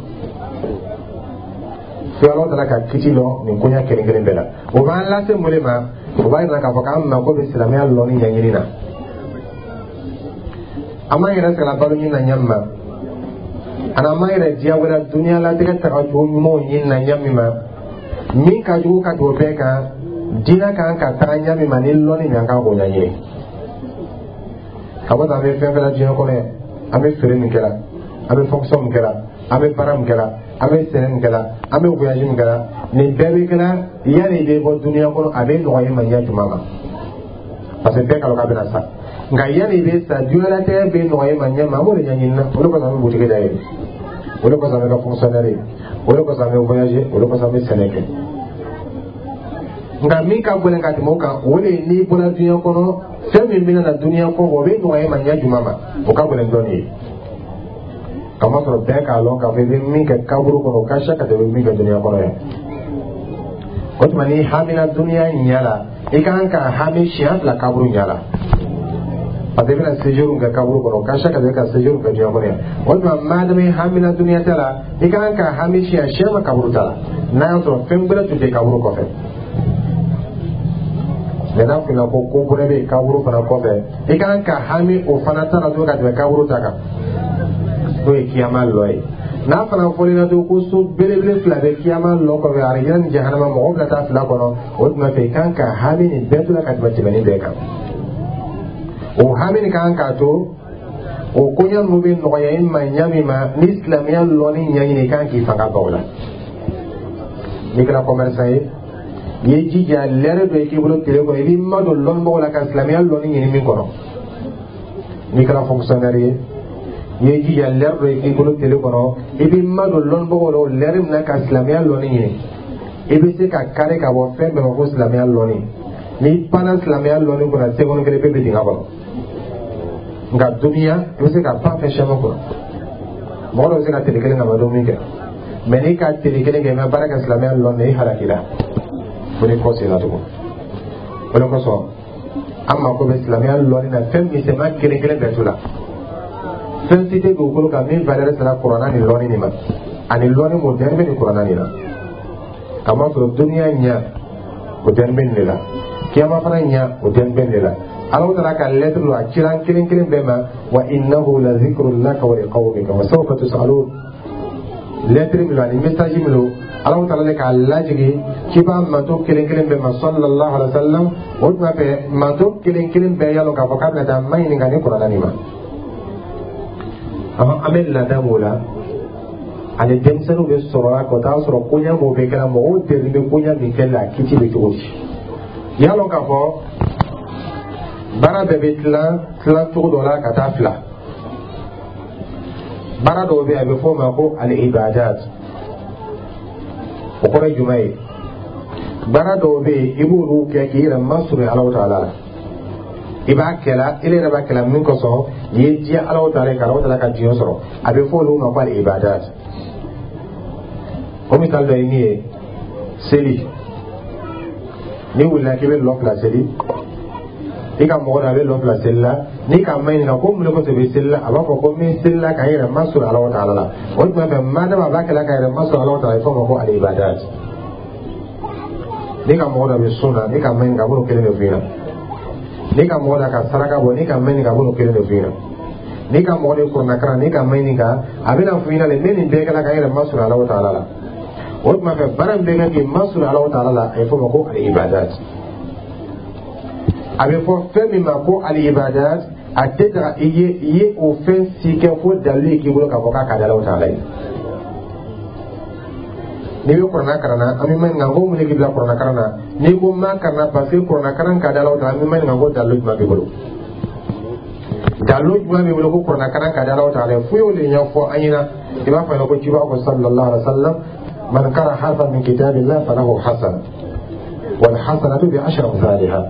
Fo Ala Taala ka kiti lɔn nin koɲa kelen kelen bɛɛ la. O b'an lase mun de ma? O b'a yira k'a fɔ k'an mako bɛ silamɛya lɔnni ɲɛɲini na. An b'an yɛrɛ sɛgɛn balo ɲini na ɲɛ min ma, ani an b'an yɛrɛ diyagoya duniya latigɛ tagacogo ɲumanw ɲini na ɲɛ min ma, min ka jugu ka tɛmɛ o bɛɛ kan, diinɛ kan ka taga ɲɛ min ma ni lɔnni min, an kan k'o ɲɛɲini. Ka bɔ an bɛ fɛn fɛn la diɲɛ kɔnɔ yan, an bɛ feere min kɛra, an bɛ fonction min kɛra, an bɛ baara min kɛra, an bɛ sɛnɛ min kɛra, an bɛ voyage min kɛra, nin bɛɛ bɛ kɛra yanni i bɛ bɔ duniya kɔnɔ, a bɛ nɔgɔya i ma ɲɛ jumɛn ma? Parce que bɛɛ k'a dɔn k'a bɛna sa. Nka yanni i bɛ sa, diɲɛlatigɛ bɛ nɔgɔya i ma ɲɛ ma, an b'o de ɲɛɲini na. O de kosɔn an bɛ butigi dayɛlɛ, o de kosɔn an bɛ kɛ fonctionnaire ye, o de kosɔn an bɛ voyager, o de kosɔn an bɛ sɛnɛ kɛ. Nka min ka gɛlɛn ka tɛmɛ o kan, o de ye n'i bɔra diɲɛ kɔnɔ, fɛn min bɛna na duniya kɔfɛ, o bɛ nɔgɔya i ma ɲɛ jumɛn ma? O ka gɛlɛn dɔɔnin ye, kamasɔrɔ bɛɛ k'a lɔn k'a fɔ i bɛ min kɛ kaburu kɔnɔ, o ka siya ka tɛmɛ i bɛ min kɛ duniya kɔnɔ yan. O tuma, n'i hamina duniya ɲɛ la, i kan ka hami siɲɛ fila kaburu ɲɛ la, parce que i bɛna séjour kɛ kaburu kɔnɔ, o ka siya ka tɛmɛ ka séjour kɛ duniya kɔnɔ yan. O tuma, madama i hamina duniya ta la, i kan ka hami siɲɛ siyɛn kaburu ta la, n'a y'a sɔrɔ fɛn gbɛrɛ tun tɛ kaburu kɔfɛ. Mɛ n'a fɔra ko ko gbɛrɛ bɛ kaburu fana kɔfɛ, i kan ka hami o fana ta la tuguni ka tɛmɛ kaburu ta kan, n'o ye kiyama lɔ ye. N'a fana fɔl'i to ko so belebele fila bɛ kiyama lɔ kɔfɛ, arijinɛ ni jahanama, mɔgɔw bɛna taa fila kɔnɔ, o tuma fɛ i kan ka hami nin bɛɛ to la ka tɛmɛ tɛmɛnin bɛɛ kan. O hami nin kan k'a to o koɲɛ ninnu bɛ nɔgɔya i ma ɲa min ma, ni silamɛya lɔnni ɲɛɲini, i kan k'i fanga ban o la. N'i kɛra commerçant ye, i ye jija lɛrɛ dɔ ye k'i bolo tile kɔnɔ, i b'i madon lɔnnibagaw la ka silamɛya lɔnni ɲini min kɔnɔ. N'i kɛra fonctionnaire ye, i ye jija lɛrɛ dɔ ye k'i bolo tile kɔnɔ, i b'i madon lɔnnibagaw la o lɛrɛ min na ka silamɛya lɔnni ɲini. I bɛ se ka kari ka bɔ fɛn bɛɛ ma ko silamɛya lɔnni. N'i panna silamɛya lɔnni kunna seconde kelen pe, bɛ dingɛ kɔnɔ. Nka duniya, i bɛ se ka pan fɛn caman kunna. Mɔgɔ dɔ bɛ se ka tile kelen ka ma dumuni kɛ, mɛ n'i ka tile kelen kɛ i ma baara kɛ silamɛya lɔnni na, i halakila fo ni kɔ senna tugun. O de kosɔn an mako bɛ silamɛya lɔnni na fɛn misɛnman kelen kelen bɛɛ tu la. Fɛn si tɛ dugukolo kan min valeur sera kuranna ni lɔnni nin ma, ani lɔnni mun dɛnni bɛ nin kuranna nin na, kamasɔrɔ duniya ɲɛ, o dɛnni bɛ nin de la, kiyama fana ɲɛ, o dɛnni bɛ nin de la. Ala taala ka lettre don, a cira an kelen kelen bɛɛ ma: wa innahu la zikrun laka wa liqawmika wa sawfa tus'alun. Lettre min don ani message min don, Ala taala de k'a lajigin ciba manto kelen kelen bɛɛ ma, sallallahu alaihi wa sallam. O tuma fɛ, manto kelen kelen bɛɛ y'a lɔn k'a fɔ k'a bɛna taa ma ɲininka ni kuranna nin ma. An bɛ laada mun la ani denmisɛnninw bɛ sɔrɔ la ka taa sɔrɔ koɲɛ mun bɛ kɛra, mɔgɔw deli bɛ koɲɛ min kɛli la, a kiti bɛ cogo di? Y'a lɔn k'a fɔ baara bɛɛ bɛ tilan tilan cogo dɔ la ka taa fila. Baara dɔw bɛ yen, a bɛ fɔ o ma ko al ibadat. O kɔrɔ ye jumɛn ye? Baara dɔw bɛ yen, i b'olu kɛ k'i yɛrɛ masurunya Alahu taala la. I b'a kɛla, i yɛrɛ b'a kɛla min kosɔn, i ye diya Alahu taala ye, ka Alahu taala ka diɲɛ sɔrɔ, a bɛ fɔ olu ma ko al ibadat. O misali dɔ ye min ye, seli. N'i wulila k'i bɛ lɔ fila seli, i ka mɔgɔ dɔ a bɛ lɔ fila seli la, n'i k'a maɲininka ko mun de kosɔn i bɛ seli la, a b'a fɔ ko n bɛ seli la ka n yɛrɛ masuru Alahu taala la. O tuma fɛ, madama a b'a kɛla ka yɛrɛ masuru Alahu taala, a bɛ fɔ o ma ko al ibadat. N'i ka mɔgɔ dɔ bɛ sun na, n'i k'a maɲininka, a b'o kelen de f'i ɲɛna. N'i ka mɔgɔ dɔ ka saraka bɔ, n'i k'a maɲininka, a b'o kelen de f'i ɲɛna. N'i ka mɔgɔ de kuranna kalan, n'i k'a maɲininka, a bɛna f'i ɲɛna de: n bɛ nin bɛɛ kɛla ka n yɛrɛ masuru Alahu taala la. O tuma fɛ, baara min bɛ kɛ k'i masuru Alahu taala la, a bɛ fɔ o ma ko al ibadat. A bɛ fɔ fɛn min ma ko al-ibadat, a tɛ daga i ye o fɛn si kɛ fo dalilu ye k'i bolo k'a fɔ k'a ka di Alahu taala ye. N'i bɛ kuranna kalan na, an bɛ maɲininka ko mun de k'i bila kuranna kalan na? N'i ko n b'a kalan na parce que kuranna kalan ka di Alahu taala, an bɛ maɲininka ko dalilu jumɛn b'i bolo? Dalilu jumɛn b'i bolo ko kuranna kalan ka di Alahu taala ye? Fo y'o de ɲɛfɔ an ɲɛna. I b'a fɔ ɲɛna ko ciba ko sallallahu alaihi wa sallam: man qara harfan min kitabillah falahu hasana wal hasanatu bi ashri amthaliha.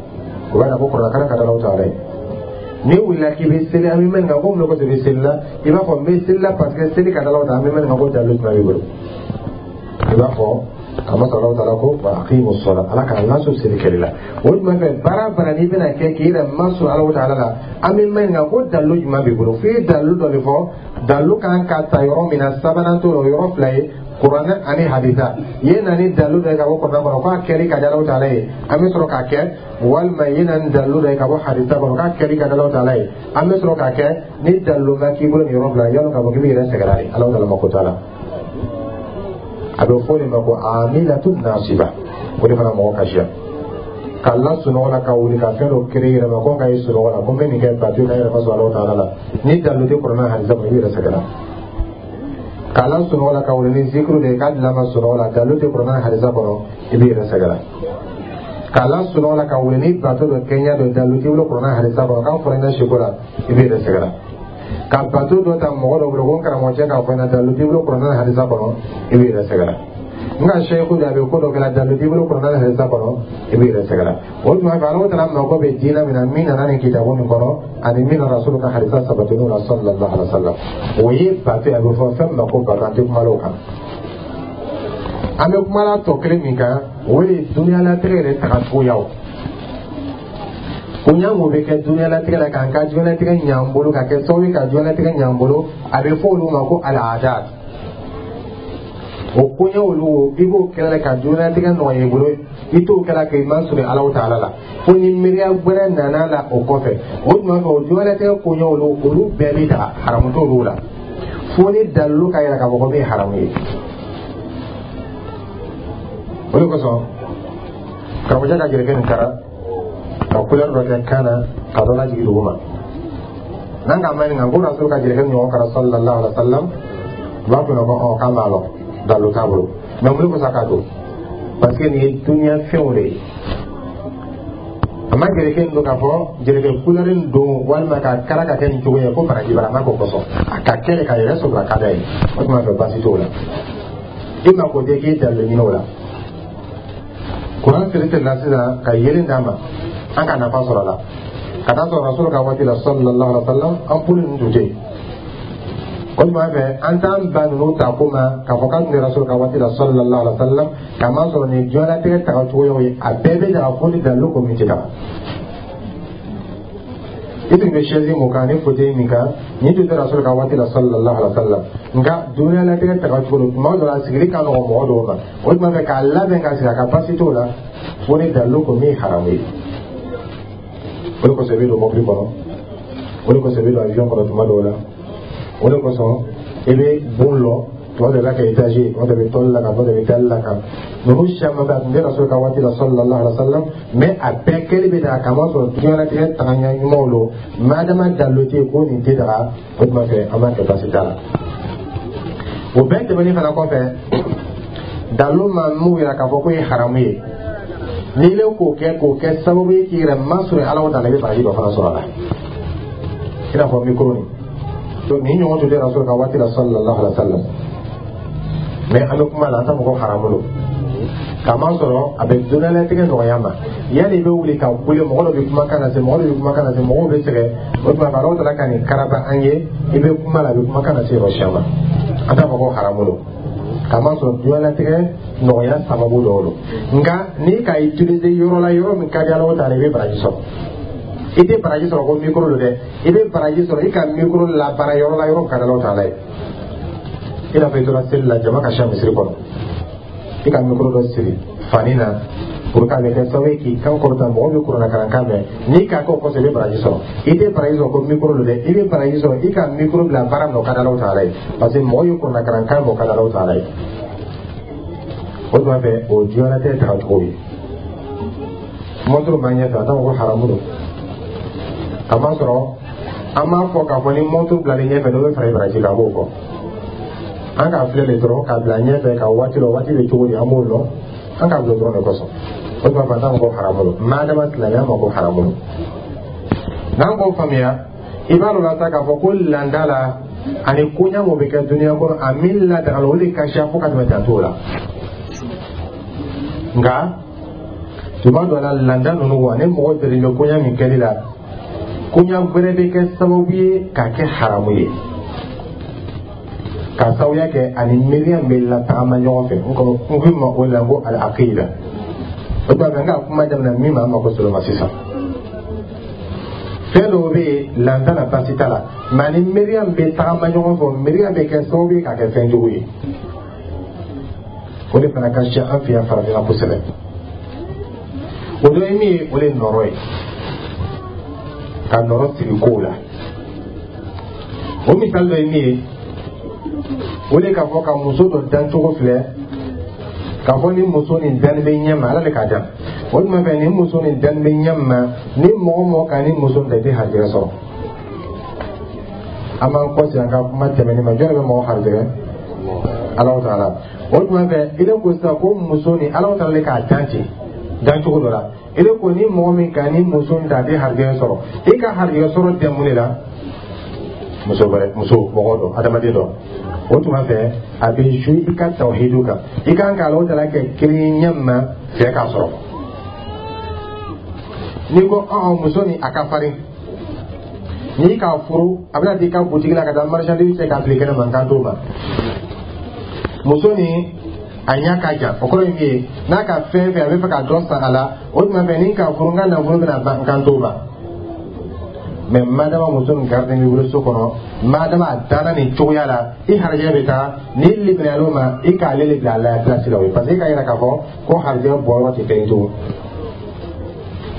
O b'a yira ko kuranna kalan ka di Alahu taala ye. N'i wulila k'i bɛ seli, an bɛ maɲininka ko mun de kosɔn i bɛ seli la? I b'a fɔ n bɛ seli la parce que seli ka di Alahu taala. An bɛ maɲininka ko dalilu jumɛn b'i bolo? I b'a fɔ a ma sɔrɔ Alahu taala ko wa aqimu sɔla, Ala k'a laso seli kɛli la. O jumɛn fɛ, baara baara n'i bɛna kɛ k'i yɛrɛ masɔrɔ Alahu taala la, an bɛ maɲininka ko dalilu jumɛn b'i bolo? F'i ye dalilu dɔ de fɔ. Dalilu kan ka ta yɔrɔ min na, sabanan t'o la, o yɔrɔ fila ye, kuranɛ ani hadisa. I ye na ni dalilu dɔ ye ka bɔ kuranɛ kɔnɔ k'a kɛli ka di Alahu taala ye, an bɛ sɔrɔ k'a kɛ, walima i ye na ni dalilu dɔ ye ka bɔ hadisa kɔnɔ k'a kɛli ka di Alahu taala ye, an bɛ sɔrɔ k'a kɛ. Ni dalilu ma k'i bolo nin yɔrɔ fila, yalɔ k'a fɔ k'i b'i yɛrɛ sɛgɛrɛ de, Alahu taala mako t'a la. A bɛ fɔ o de ma ko amilatu nasiba. O de fana mɔgɔ kasiya k'a la sunɔgɔ la, ka wuli ka fɛn dɔ kere yɛrɛ ma ko n ka ye sunɔgɔ la ko n bɛ nin kɛ bato ka yɛrɛ ma sɔrɔ Alahu taala la. Ni dalilu tɛ kuranɛ hadisa kɔnɔ, i b'i yɛrɛ sɛgɛrɛ. K'a la sunɔgɔ la ka wuli ni zikiru de ye k'a dilan ma sunɔgɔ la, dalilu tɛ kuranɛ hadisa kɔnɔ, i b'i yɛrɛ sɛgɛrɛ. K'a la sunɔgɔ la ka wuli ni bato dɔ kɛɲɛ dɔ, dalilu t'i bolo kuranɛ hadisa kɔnɔ k'a fɔra i ɲɛna siko la, i b'i yɛrɛ sɛgɛrɛ. Ka bato dɔ ta mɔgɔ dɔ bolo ko n karamɔgɔcɛ k'a fɔ n ɲɛna, dalilu t'i bolo kuranɛ hadisa kɔnɔ, i b'i yɛrɛ sɛgɛrɛ. N ka seyiku de a bɛ ko dɔ kɛla, dalilu t'i bolo kuranɛ hadisa kɔnɔ, i b'i yɛrɛ sɛgɛrɛ. O tuma fɛ, Alahu taala mako bɛ diinɛ min na, min nana nin kitabu nin kɔnɔ ani min nana Rasulu ka hadisa sabatiniw la sallallahu alaihi wa sallam, o ye bato ye. A bɛ fɔ fɛn min ma ko bato, an tɛ kuma o kan. An bɛ kuma la tɔ kelen min kan, o de ye duniyalatigɛ yɛrɛ tagacogoyaw. Koɲa mun bɛ kɛ duniyalatigɛ la k'an ka diɲɛlatigɛ ɲ'an bolo, ka kɛ sababu ye ka diɲɛlatigɛ ɲ'an bolo, a bɛ fɔ olu ma ko al-adat. O koɲɛ olu, i b'o kɛlɛ ka diɲɛlatigɛ nɔgɔya i bolo, i t'o kɛla k'i ma sɔrɔ Alahu taala la fo ni miiriya wɛrɛ nana la o kɔfɛ. O tuma fɛ, o diɲɛlatigɛ koɲɛ olu bɛɛ bɛ daga, haramu t'olu la fo ni dalilu ka yira k'a fɔ ko min ye haramu ye. O de kosɔn, karamɔgɔcɛ ka jelikɛ nin kara ka couleur dɔ kɛ kan na ka dɔ lajigin dugu ma, n'an k'a maɲininka ko Rasul ka jelikɛ ɲɔgɔn kara sallallahu alaihi wa sallam, u b'a fɔ ko ɔ k'an b'a lɔn, dalilu t'a bolo. Mais mun de kosɔn a k'a don? Parce que nin ye duniya fɛnw de ye. A ma jelikɛ nin don k'a fɔ jelikɛ couleur nin don walima ka kara ka kɛ nin cogo ye ko baraji b'a la, a ma k'o kosɔn. A ka kɛ de k'a yɛrɛ sɔrɔ a ka d'a ye. O tuma fɛ, baasi t'o la, i mako tɛ k'i dalilu ɲini o la. Kuran siri sirila sisan ka yelen d'a ma, an ka nafa sɔrɔ a la. Ka taa sɔrɔ Rasulu ka waati la sallallahu alaihi wa sallam, ampoule ninnu tun tɛ yen. O tuma fɛ, an t'an ba ninnu ta ko ma k'a fɔ k'an tun bɛ Rasulu ka waati la sallallahu alaihi wa sallam, k'a ma sɔrɔ nin diɲɛlatigɛ tagacogoyaw ye, a bɛɛ bɛ daga fo ni dalilu ko min tɛ daga. I tun bɛ chaise mun kan ni fauteuil min kan, nin tun tɛ Rasulu ka waati la sallallahu alaihi wa sallam. Nka diɲɛlatigɛ tagacogo don, tuma dɔ la sigili ka nɔgɔn mɔgɔ dɔw ma. O tuma fɛ, k'a labɛn ka sigi a ka, baasi t'o la fo ni dalilu ko min ye haramu ye. O de kosɔn i bɛ don mobili kɔnɔ, o de kosɔn i bɛ don avion kɔnɔ tuma dɔw la, o de kosɔn i bɛ bon lɔ tuma dɔ i b'a kɛ étage ye, tuma dɔ i bɛ tɔli la kan, tuma dɔ i bɛ dali la kan. Ninnu caman bɛ a tun tɛ Rasulu ka waati la sallallahu alaihi wa sallam, mais a bɛɛ kɛli bɛ daga k'a sɔrɔ diɲɛlatigɛ tagaɲɛ ɲumanw don. Madama dalilu tɛ yen ko nin tɛ daga, o tuma fɛ an b'a kɛ, baasi t'a la. O bɛɛ tɛmɛnen fana kɔfɛ, dalilu ma mun yira k'a fɔ k'o ye haramu ye, n'i le k'o kɛ sababu ye k'i yɛrɛ masɔrɔ Ala taala, i bɛ baraji dɔ fana sɔrɔ a la. I n'a fɔ micro nin, nin ɲɔgɔn tun tɛ Rasulu ka waati la sallallahu alaihi wa sallam, mais an bɛ kuma la, an t'a fɔ ko haramu don, k'a masɔrɔ a bɛ diɲɛlatigɛ nɔgɔya ma. Yanni i bɛ wuli ka kule, mɔgɔ dɔ bɛ kumakan lase, mɔgɔ dɔ bɛ kumakan lase, mɔgɔw bɛ sɛgɛn. O tuma Ala taala ka nin karaba an ye, i bɛ kuma la, a bɛ kumakan lase yɔrɔ caman. An t'a fɔ ko haramu don, k'a masɔrɔ diɲɛlatigɛ nɔgɔya sababu dɔw don. Nka n'i ka utiliser yɔrɔ la, yɔrɔ min ka di Ala taala, i bɛ baraji sɔrɔ. I tɛ baraji sɔrɔ ko micro don dɛ, i bɛ baraji sɔrɔ i ka micro labaara yɔrɔ la, yɔrɔ min ka di Ala taala ye. I n'a fɔ i tora seli la, jama ka siya misiri kɔnɔ, i ka micro dɔ siri fani na pour que a bɛ kɛ sababu ye k'i kan kɔrɔta, mɔgɔw bɛ kuranɛ kalankan mɛn. N'i k'a kɛ o kɔsɔn, i bɛ baraji sɔrɔ. I tɛ baraji sɔrɔ ko micro don dɛ, i bɛ baraji sɔrɔ i ka micro bila baara min na, o ka di Ala taala ye, parce que mɔgɔw ye kuranɛ kalankan mɛn, o ka di Ala taala ye. O tuma fɛ, o diɲɛlatigɛ tagacogo ye. Mɔnturu b'an ɲɛfɛ, a t'a fɔ ko haramu don, kamasɔrɔ an b'a fɔ k'a fɔ ni mɔnturu bilalen ɲɛfɛ, dɔ bɛ fara i baraji kan. An b'o fɔ, an k'a filɛ de dɔrɔn k'a bila ɲɛfɛ ka waati dɔn, waati bɛ cogo di, an b'o lɔn, an k'a bila dɔrɔn de kosɔn. O tuma fɛ, an t'a fɔ ko haramu don, madama silamɛya ma ko haramu don. N'an k'o faamuya, i b'a dɔn la sa k'a fɔ ko landa la ani koɲa mun bɛ kɛ duniya kɔnɔ, a min ladagala, o de ka siya fo ka tɛmɛ danto la. Nka tuma dɔ la, landa ninnu ani mɔgɔ delilen bɛ koɲa min kɛli la, koɲa wɛrɛ bɛ kɛ sababu ye k'a kɛ haramu ye, ka sababuya kɛ ani miiriya min bɛ latagama ɲɔgɔn fɛ. N ko n ko ma o la ko al-aqida. O tuma fɛ, n ka kuma daminɛ min ma, an mako sɔrɔ ma sisan. Fɛn dɔw bɛ yen, landa la, baasi t'a la, mɛ ani miiriya min bɛ tagama ɲɔgɔn fɛ, o miiriya bɛ kɛ sababu ye k'a kɛ fɛn jugu ye. O de fana ka siya an fɛ yan farafinna kosɛbɛ. O dɔ ye min ye, o de ye nɔrɔ ye, ka nɔrɔ sigi kow la. O misali dɔ ye min ye, o de k'a fɔ ka muso dɔ dancogo filɛ, k'a fɔ ni muso nin danni bɛ ɲɛ ma, Ala de k'a dan. O tuma fɛ, ni muso nin danni bɛ ɲɛ ma, ni mɔgɔ mɔgɔ ka ni muso nin ta, i tɛ harijɛgɛ sɔrɔ. An b'an kɔsegin an ka kuma tɛmɛnen ma. Jɔn de bɛ mɔgɔ harijɛgɛ? Alahu taala. O tuma fɛ, i ko sisan ko muso nin, Alahu taala de k'a dan ten dancogo dɔ la. I ko ni mɔgɔ min ka ni muso nin ta, a tɛ harijɛgɛ sɔrɔ. I ka harijɛgɛ sɔrɔ tɛ mun de la? Muso wɛrɛ, muso mɔgɔ dɔ, adamaden dɔ. O tuma fɛ, a bɛ jouer i ka tawhidu kan. I kan ka Alahu taala kɛ kelen ɲɛ ma fɛ k'a sɔrɔ. N'i ko ɔn muso nin, a ka farin, n'i k'a furu, a bɛna t'i ka butigi la ka taa marchandise cɛ k'a fili kɛnɛ ma, n kan t'o ma. Muso nin, a ɲɛ ka jan, o kɔrɔ ye min ye, n'a ka fɛn fɛn, a bɛ fɛ ka dɔ san a la. O tuma fɛ, ni k'a furu, n ka nafolo bɛna ban, n kan t'o ma. Mɛ madama muso nin garden b'i bolo so kɔnɔ, madama a danna nin cogoya la, i harijɛgɛ bɛ taa. N'i liminɛyal'o ma, i k'ale de bila a la place la. O ye parce que i k'a yira k'a fɔ ko harijɛgɛ bɔyɔrɔ tɛ fɛn ye tugun.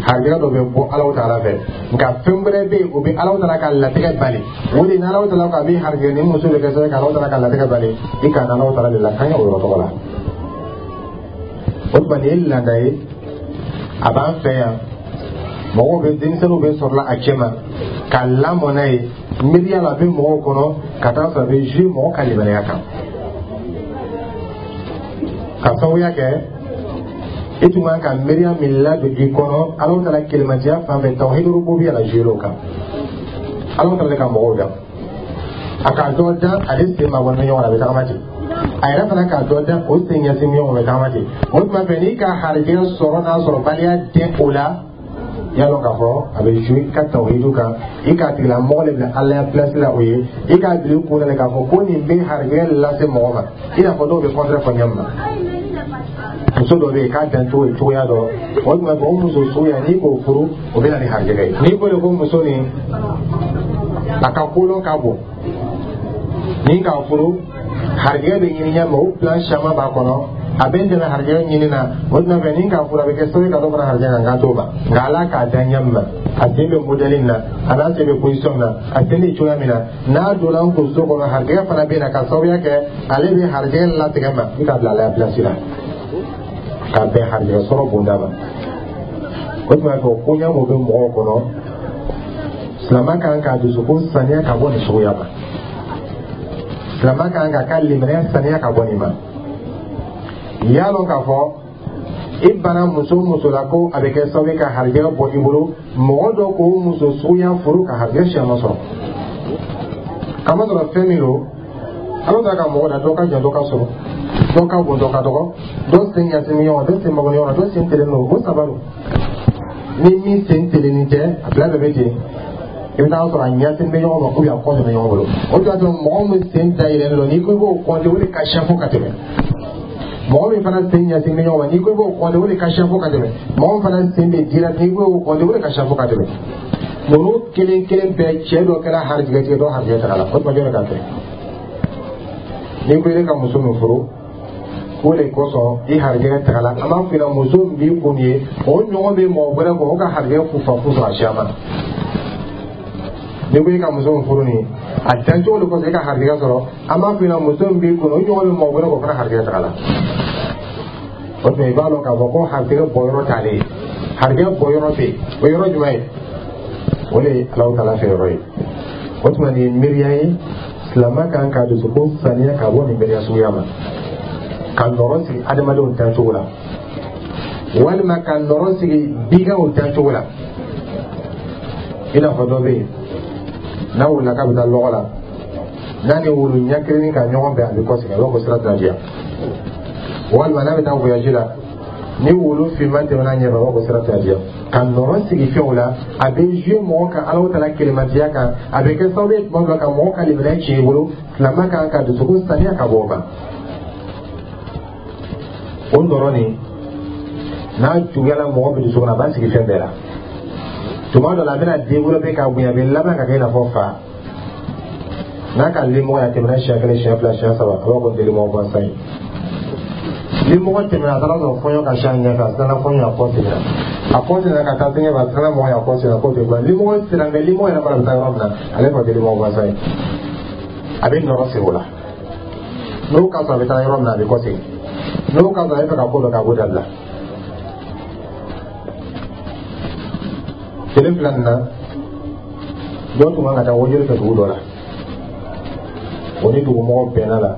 Harijɛgɛ dɔ bɛ bɔ Alahu taala fɛ, nka fɛn wɛrɛ bɛ yen, o bɛ Alahu taala ka latigɛ bali. O de ni Alahu taala ko a bɛ harijɛgɛ, ni muso bɛ kɛ sababu ye ka Alahu taala ka latigɛ bali, i ka Alahu taala de la kan o yɔrɔ tɔgɔ la. O tuma, nin ye laada ye, a b'an fɛ yan. Mɔgɔw bɛ, denmisɛnninw bɛ sɔrɔla a cɛ ma ka lamɔ n'a ye miiriya la, a bɛ mɔgɔw kɔnɔ ka taa sɔrɔ a bɛ jouer mɔgɔ ka limaniya kan, ka sababuya kɛ i tun kan ka miiriya min ladon i kɔnɔ Alahu taala kelematiya fan fɛ, tawhidu rububiyya la, jouer o kan. Alahu taala ka mɔgɔw dan, a k'a dɔ dan ale sen ma bɔ ɲɔgɔn na, a bɛ tagama ten. A yɛrɛ fana k'a dɔ dan, o sen ɲɛsin ɲɔgɔn, bɛ tagama ten. O tuma fɛ, n'i ka harijɛgɛ sɔrɔ n'a sɔrɔ baliya den o la, y'a dɔn k'a fɔ a bɛ jouer i ka tawhidu kan. I k'a tigilamɔgɔ de bila Ala ya place la. O ye i k'a bila i kun na k'a fɔ ko nin bɛ harijɛgɛ lase mɔgɔ ma, i n'a fɔ dɔw bɛ contraire fɔ ɲɛ ma. Muso dɔ bɛ yen k'a dan cogo ye cogoya dɔ, o tuma fɛ, o muso suguya, n'i k'o furu, o bɛ na ni harijɛgɛ ye. N'i ko de ko muso nin, a ka kolon ka bon, ni k'a furu, harijɛgɛ bɛ ɲini ɲɛ ma, o plan caman b'a kɔnɔ, a bɛ n dɛmɛ harijɛgɛ ɲini na. O tuma fɛ, ni k'a furu, a bɛ kɛ sababu ye ka dɔ fara harijɛgɛ kan, kan t'o ma. Nka Ala k'a da ɲɛ ma, a sen bɛ modèle in na, a n'a sen bɛ position na, a sen bɛ cogoya min na, n'a donna n kun so kɔnɔ, harijɛgɛ fana bɛ na, ka sababuya kɛ ale bɛ harijɛgɛ latigɛ ma. I k'a bila Ala ya place la ka bɛn harijɛgɛ sɔrɔ bonda ma. O tuma fɛ, o koɲa mun bɛ mɔgɔw kɔnɔ, silamɛ kan k'a dusukun saniya ka bɔ nin suguya ma. Silamɛ kan k'a ka limaniya saniya ka bɔ nin ma. Y'a lɔn k'a fɔ i bana muso muso la ko a bɛ kɛ sababu ye ka harijɛgɛ bɔ i bolo, mɔgɔ dɔ k'o muso suguya furu ka harijɛgɛ siyama sɔrɔ, kamasɔrɔ fɛn min don, Ala ta ka mɔgɔ da, dɔ ka jan, dɔ ka sɔrɔ, dɔ ka bon, dɔ ka dɔgɔ, dɔ sen ɲɛsin ɲɔgɔn, dɔ sen mabɔ ɲɔgɔn na, dɔ sen telen don. O saba don. Ni min sen telennin tɛ, a fila bɛɛ bɛ ten. I bɛ taa sɔrɔ a ɲɛsin bɛ ɲɔgɔn ma, ou bien a kɔ bɛ ɲɔgɔn bolo. O de y'a to mɔgɔ min sen dayɛlɛlen don, n'i ko i b'o kɔnte, o de ka siya fo ka tɛmɛ. Mɔgɔ min fana sen ɲɛsin bɛ ɲɔgɔn ma, n'i ko i b'o kɔnte, o de ka siya fo ka tɛmɛ. Mɔgɔ min fana sen bɛ dira, n'i ko i b'o kɔnte, o de ka siya fo ka tɛmɛ. Ninnu kelen kelen bɛɛ, cɛ dɔ kɛra harijɛgɛtigi, dɔ harijɛgɛ taga la. O tuma, jɔn de ka kɛ? N'i ko i ka muso min furu, o de kosɔn i harijɛgɛ taga la, an b'a f'i ɲɛna, muso min b'i kun ye, o ɲɔgɔn bɛ mɔgɔ wɛrɛ kɔ, o ka harijɛgɛ fufa fu sɔrɔ a siya ma. N'i ko i ka muso min furu nin, a dancogo de kosɔn i ka harijɛgɛ sɔrɔ, an b'a f'i ɲɛna, muso min b'i kun, o ɲɔgɔn bɛ mɔgɔ wɛrɛ kɔ, o fana harijɛgɛ taga la. O tuma, i b'a dɔn k'a fɔ ko harijɛgɛ bɔyɔrɔ t'ale ye. Harijɛ bɔ yɔrɔ bɛ yen, o yɔrɔ jumɛn ye? O de ye Alahu Taala fɛ yɔrɔ ye. O tuma, nin ye miiriya ye, silamɛ kan ka dusukun saniya ka bɔ nin miiriya suguya ma, ka nɔrɔ sigi adamadenw dancogo la, walima ka nɔrɔ sigi biganw dancogo la. I n'a fɔ dɔ bɛ yen, n'a wulila k'a bɛ taa lɔgɔ la, n'a ni wulu ɲɛ ka ɲɔgɔn bɛn, a bɛ kɔsegin, a b'a fɔ sira tɛna diya. Walima n'a bɛ taa voyage la, ni wulu finman tɛmɛna ɲɛfɛ, a b'a fɔ sira tɛna diya. Ka nɔrɔ sigi fɛnw la, a bɛ jouer mɔgɔ kan Alahu Taala kelenmatiya kan, a bɛ kɛ sababu ye tuma dɔ la ka mɔgɔ ka limaniya tiɲɛ i bolo. Silamɛ kan ka dusukun saniya ka bɔ o ma. O nɔrɔ nin, n'a juguyala mɔgɔ min dusukun na, a b'a sigi fɛn bɛɛ la. Tuma dɔ la, a bɛna développer ka bonya, a bɛ laban ka kɛ i n'a fɔ fa n'a ka limɔgɔ ye. A tɛmɛna siɲɛ kelen, siɲɛ fila, siɲɛ saba, a b'a fɔ limɔgɔ gansan ye. Limɔgɔ tɛmɛna, a taara sɔrɔ fɔɲɔ ka si a ɲɛfɛ, a siranna fɔɲɔ, a kɔ seginna, a kɔ seginna ka taa sɛgɛ, a siranna mɔgɔ ye, a kɔ seginna, k'o tɛ ban. Limɔgɔ sera mɛ limɔgɔ yɛrɛ fana bɛ taa yɔrɔ min na, ale fɔ tɛ limɔgɔ gansan ye. A bɛ nɔrɔ sigi o la. N'o ka sɔrɔ a bɛ taa yɔrɔ min na, a bɛ kɔ segin. N'o ka sɔrɔ a bɛ fɛ ka ko dɔ kɛ, a b'o dabila. Tile fila nin na, dɔ tun kan ka taa wajuli kɛ dugu dɔ la, o ni dugumɔgɔw bɛnna la.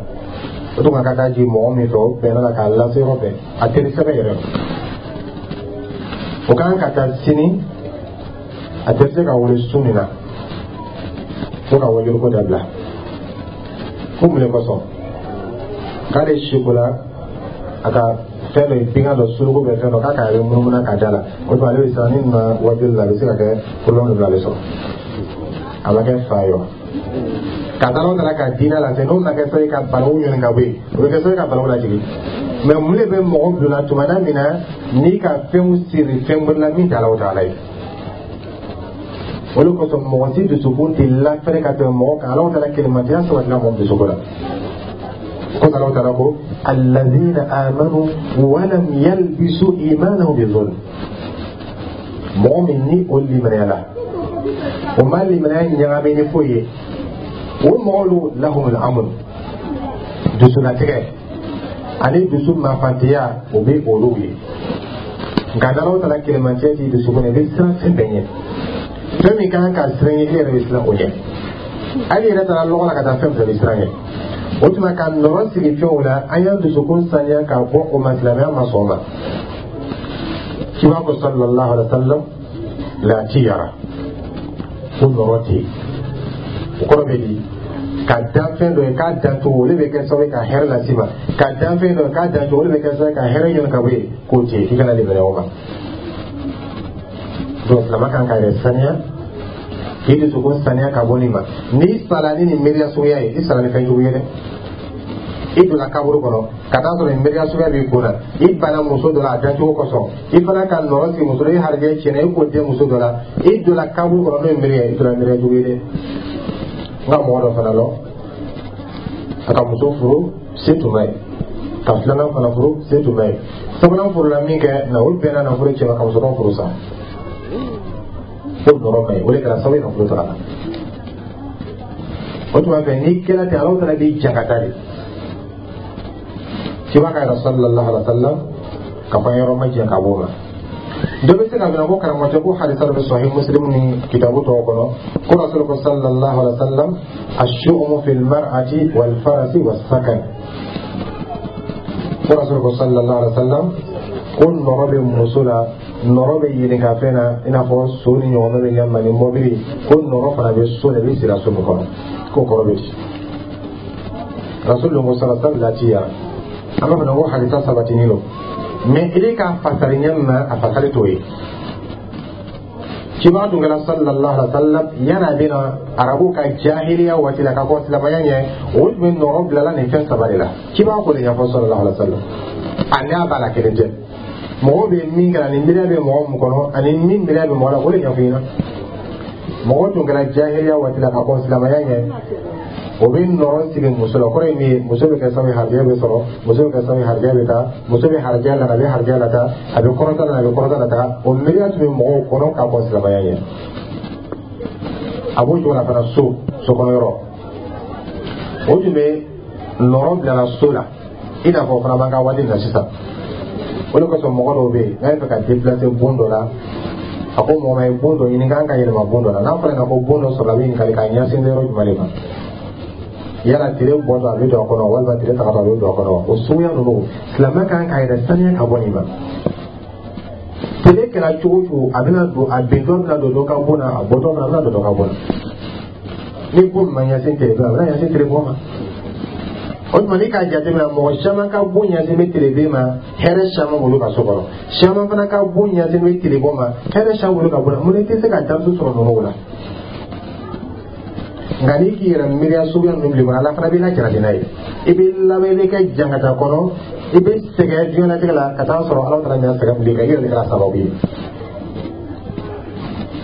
O tun ka taa jigin mɔgɔ min fɛ, o bɛnna la k'a lase yɔrɔ bɛɛ, a teri sɛbɛ yɛrɛ. O kan ka taa sini, a tɛ se ka wele su min na fo ka wajuliko dabila. Ko mun de kosɔn? K'ale siko la, a ka fɛn dɔ ye, bigan dɔ, suruku bɛ fɛn dɔ k'a k'a yɛrɛ munumunu ka da la. O tuma, ale bɛ siran ni ma wajuli la, a bɛ se ka kɛ problème dɔ bɛ ale sɔrɔ. A ma kɛ fa ye wa? Ka taa n'o taara ka diinɛ lase, n'o ma kɛ sababu ye ka balawu ɲini ka bɔ yen, o bɛ kɛ sababu ye ka balawu lajigin. Mɛ mun de bɛ mɔgɔ donna tuma na min na n'i ka fɛnw siri fɛn wɛrɛ la min tɛ Alahu Taala ye? O de kosɔn, mɔgɔ si dusukun tɛ lafɛrɛ ka tɛmɛ mɔgɔ kan Alahu Taala kelenmatiya sabatila mɔgɔ dusukun na. Ko Alahu Taala ko: allazina amanu walam yalbisu imanahum bizulm. Mɔgɔ min ni o limaniyala, o ma limaniya ɲagami ni foyi ye, o mɔgɔw lahumul amn, dusulatigɛ ani dusu mafantiya, o bɛ olu ye. Nka n'Alahu Taala kelenmatiya t'i dusukun na, i bɛ siran fɛn bɛɛ ɲɛ. Fɛn min kan ka siran ɲɛ, e yɛrɛ bɛ siran o ɲɛ. Hali i yɛrɛ taara lɔgɔ la ka taa fɛn fɛn, bɛ siran ɲɛ. O tuma, ka nɔrɔ sigi fɛnw la, an y'an dusukun saniya ka bɔ o ma. Silamɛya ma sɔn o ma. Ciba ko sallallahu alaihi wa sallam: la tiyara, ko nɔrɔ tɛ yen. O kɔrɔ bɛ di? Ka danfɛn dɔ ye k'a dancogo, olu bɛ kɛ sababu ye ka hɛrɛ las'i ma. Ka danfɛn dɔ ye k'a dancogo, olu bɛ kɛ sababu ye ka hɛrɛ ɲini ka bɔ yen, k'o tɛ yen, k'i kana limaniya o ma. Donc silamɛ kan k'a yɛrɛ saniya, k'i dusukun saniya ka bɔ nin ma. N'i sara ni nin miiriya suguya ye, i sara ni fɛn jugu ye dɛ. I donna kaburu kɔnɔ ka taa sɔrɔ nin miiriya suguya b'i kun na, i banna muso dɔ la a dancogo kosɔn, i fana ka nɔrɔ sigi muso la, i harijɛ tiɲɛna, i ko den muso dɔ la, i donna kaburu kɔnɔ n'o ye miiriya ye, i donna miiriya jugu ye dɛ. N ka mɔgɔ dɔ fana lɔ, a ka muso furu, se tun b'a ye, ka filanan fana furu, se tun b'a ye, sabanan furula min kɛ na, o bɛnna nafolo cɛ ma ka muso dɔ furu sa. Ko nɔrɔ ma ɲi, o de kɛra sababu ye nafolo taga la. O tuma fɛ, n'i kɛra ten, Alahu Taala b'i jangata de. Ciba ka yɛrɛ sallallahu alaihi wa sallam ka fɔ yɔrɔ ma jɛ ka b'o ma. Dɔ bɛ se ka minɛ ko karamɔgɔcɛ ko hadisa dɔ bɛ Sahih Muslim ni kitabu tɔw kɔnɔ, ko Rasul ko sallallahu alaihi wa sallam: ashu'umu fil mar'ati wal farasi was sakan. Ko Rasul ko sallallahu alaihi wa sallam ko nɔrɔ bɛ muso la, nɔrɔ bɛ yelenkafɛn na, i n'a fɔ so ni ɲɔgɔnna bɛ ɲɛ ni mɔbili, ko nɔrɔ fana bɛ so la, i bɛ sira so min kɔnɔ. K'o kɔrɔ bɛ di? Rasul ko sallallahu alaihi wa sallam latiya. An b'a fɔ ko hadisa sabatinin don, mɛ i k'a fasari ɲɛ min ma, a fasari t'o ye. Ciba tun kɛra sallallahu alaihi wa sallam, yan'a bɛ na arabuw ka jahiliya waati la ka kɔn silamɛya ɲɛ, o tun bɛ nɔrɔ bilala nin fɛn saba de la. Ciba k'o de ɲɛfɔ sallallahu alaihi wa sallam. A n'a b'a la kelen tɛ, mɔgɔ bɛ min kɛra ni miiriya bɛ mɔgɔ min kɔnɔ ani min miiriya bɛ mɔgɔ la, o de ɲɛfɔ ɲɛna. Mɔgɔ tun kɛra jahiliya waati la ka kɔn silamɛya ɲɛ, o bɛ nɔrɔ sigi muso la. Kɔrɔ ye min ye? Muso bɛ kɛ sababu ye harijɛ bɛ sɔrɔ, muso bɛ kɛ sababu ye harijɛ bɛ taa, muso bɛ harijɛ la, a bɛ harijɛ la taa, a bɛ kɔrɔta la, a bɛ kɔrɔta la taa. O miiriya tun bɛ mɔgɔw kɔnɔ ka kɔn silamɛya ɲɛ. A b'o cogo la fana, so sokɔnɔ yɔrɔ, o tun bɛ nɔrɔ bilala so la, i n'a fɔ o fana b'an ka waati na sisan. O de kosɔn mɔgɔ dɔw bɛ yen, n'a bɛ fɛ ka déplacer bon dɔ la, a ko mɔgɔ ma ye bon dɔ ɲini k'an ka yɛlɛma bon dɔ la. N'a fɔra ko bon dɔ sɔrɔ, a bɛ ɲininkali k'a ɲɛsin yɔrɔ jumɛn de ma? Yala tile bɔtɔ a bɛ don a kɔnɔ, walima tile tagatɔ a bɛ don a kɔnɔ? O suguya ninnu, silamɛ kan k'a yɛrɛ saniya ka bɔ nin ma. Tile kɛra cogo o cogo, a bɛna don, a bentɔ bɛna don dɔ ka bon na, a bɔtɔ fana bɛna don dɔ ka bon na. Ni bon ma ɲɛsin tile bɛ, a bɛna ɲɛsin tile bɔ ma. O tuma, n'i k'a jateminɛ, mɔgɔ caman ka bon ɲɛsin bɛ tileben ma, hɛrɛ caman b'olu ka so kɔnɔ. Caman fana ka bon ɲɛsin bɛ tilebɔ ma, hɛrɛ caman b'olu ka bon na. Mun na i tɛ se ka darisu sɔrɔ ninnu la? Nka n'i k'i yɛrɛ miiriya suguya ninnu bilen kɔnɔ, Ala fana b'i lajarabi n'a ye. I bɛ laban, i bɛ kɛ jangata kɔnɔ, i bɛ sɛgɛn diɲɛlatigɛ la ka taa sɔrɔ Ala taala ɲɛ sɛgɛn min kan, i yɛrɛ de kɛra sababu ye.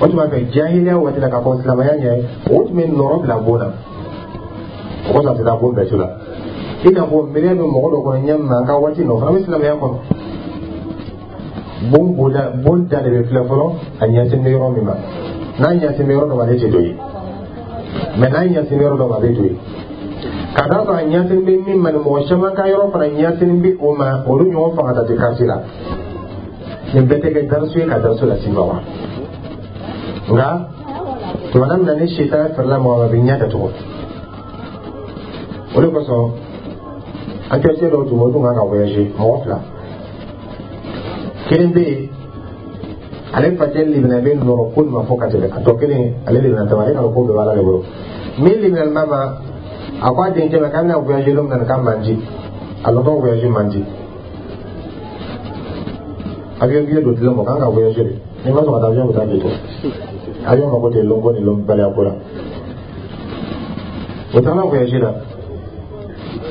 O tuma fɛ, jahiliya waati la, k'a fɔ silamɛya ɲɛ, o tun bɛ nɔrɔ bila bon na. O kosɔn a tɛ taa bon bɛɛ su la. I n'a fɔ miiriya bɛ mɔgɔ dɔ kɔnɔ ɲɛ min na, an ka waati nɔ fana bɛ silamɛya kɔnɔ. Bon bonda, bon da de bɛ filɛ fɔlɔ, a ɲɛsin bɛ yɔrɔ min ma. N'a ɲɛsin bɛ yɔrɔ dɔ ma, ale tɛ don yen, mɛ n'a ɲɛsin bɛ yɔrɔ dɔ ma, a bɛ don yen. Ka d'a kan a ɲɛsin bɛ min ma, ni mɔgɔ caman ka yɔrɔ fana ɲɛsin bɛ o ma, olu ɲɔgɔn fanga ta tɛ kasi la. Nin bɛɛ tɛ kɛ darisu ye ka darisu las'i ma wa? Nka tuma min na ni sitana fɛrɛla mɔgɔ ma, a bɛ ɲɛ datugu. O de kosɔn an terikɛ dɔw tun bɛ, o tun kan ka voyager, mɔgɔ fila. Kelen bɛ yen, ale facɛ limina bɛ nɔrɔ ko nin ma fɔ ka tɛmɛ. A tɔ kelen, ale limina tɛ, ale ka ko bɛɛ b'Ala de bolo. Min limina ma, a ko a denkɛ ma k'a bɛna voyager don min na, k'a man di a lɔtɔ, voyage man di. Avion billet don dilan mɔ k'an ka voyager de, n'i ma sɔn ka taa avion bɛ taa k'i to. Avion mako tɛ lɔnko ni lɔnbaliya ko la. O taara voyage la.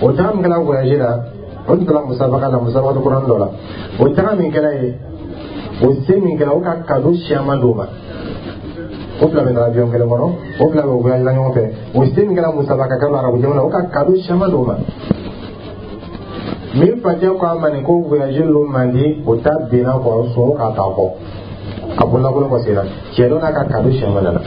O taga min kɛra voyage la, o tun taara musabaka la, musabaka kuran dɔ la. O taga min kɛra yen, o se min kɛra, o ka cadeau siyaman d'o ma. O fila bɛ taa avion kelen kɔnɔ, o fila bɛ voyage la ɲɔgɔn fɛ. O se min kɛra musabaka kɛra arabu jamana, o ka cadeau siyaman d'o ma. Min facɛ ko a ma nin ko voyage lo man di, o ta binna kɔ, sɔn k'a ta kɔ, a bololankolon kɔ senna. Cɛ dɔ n'a ka cadeau siyaman nana.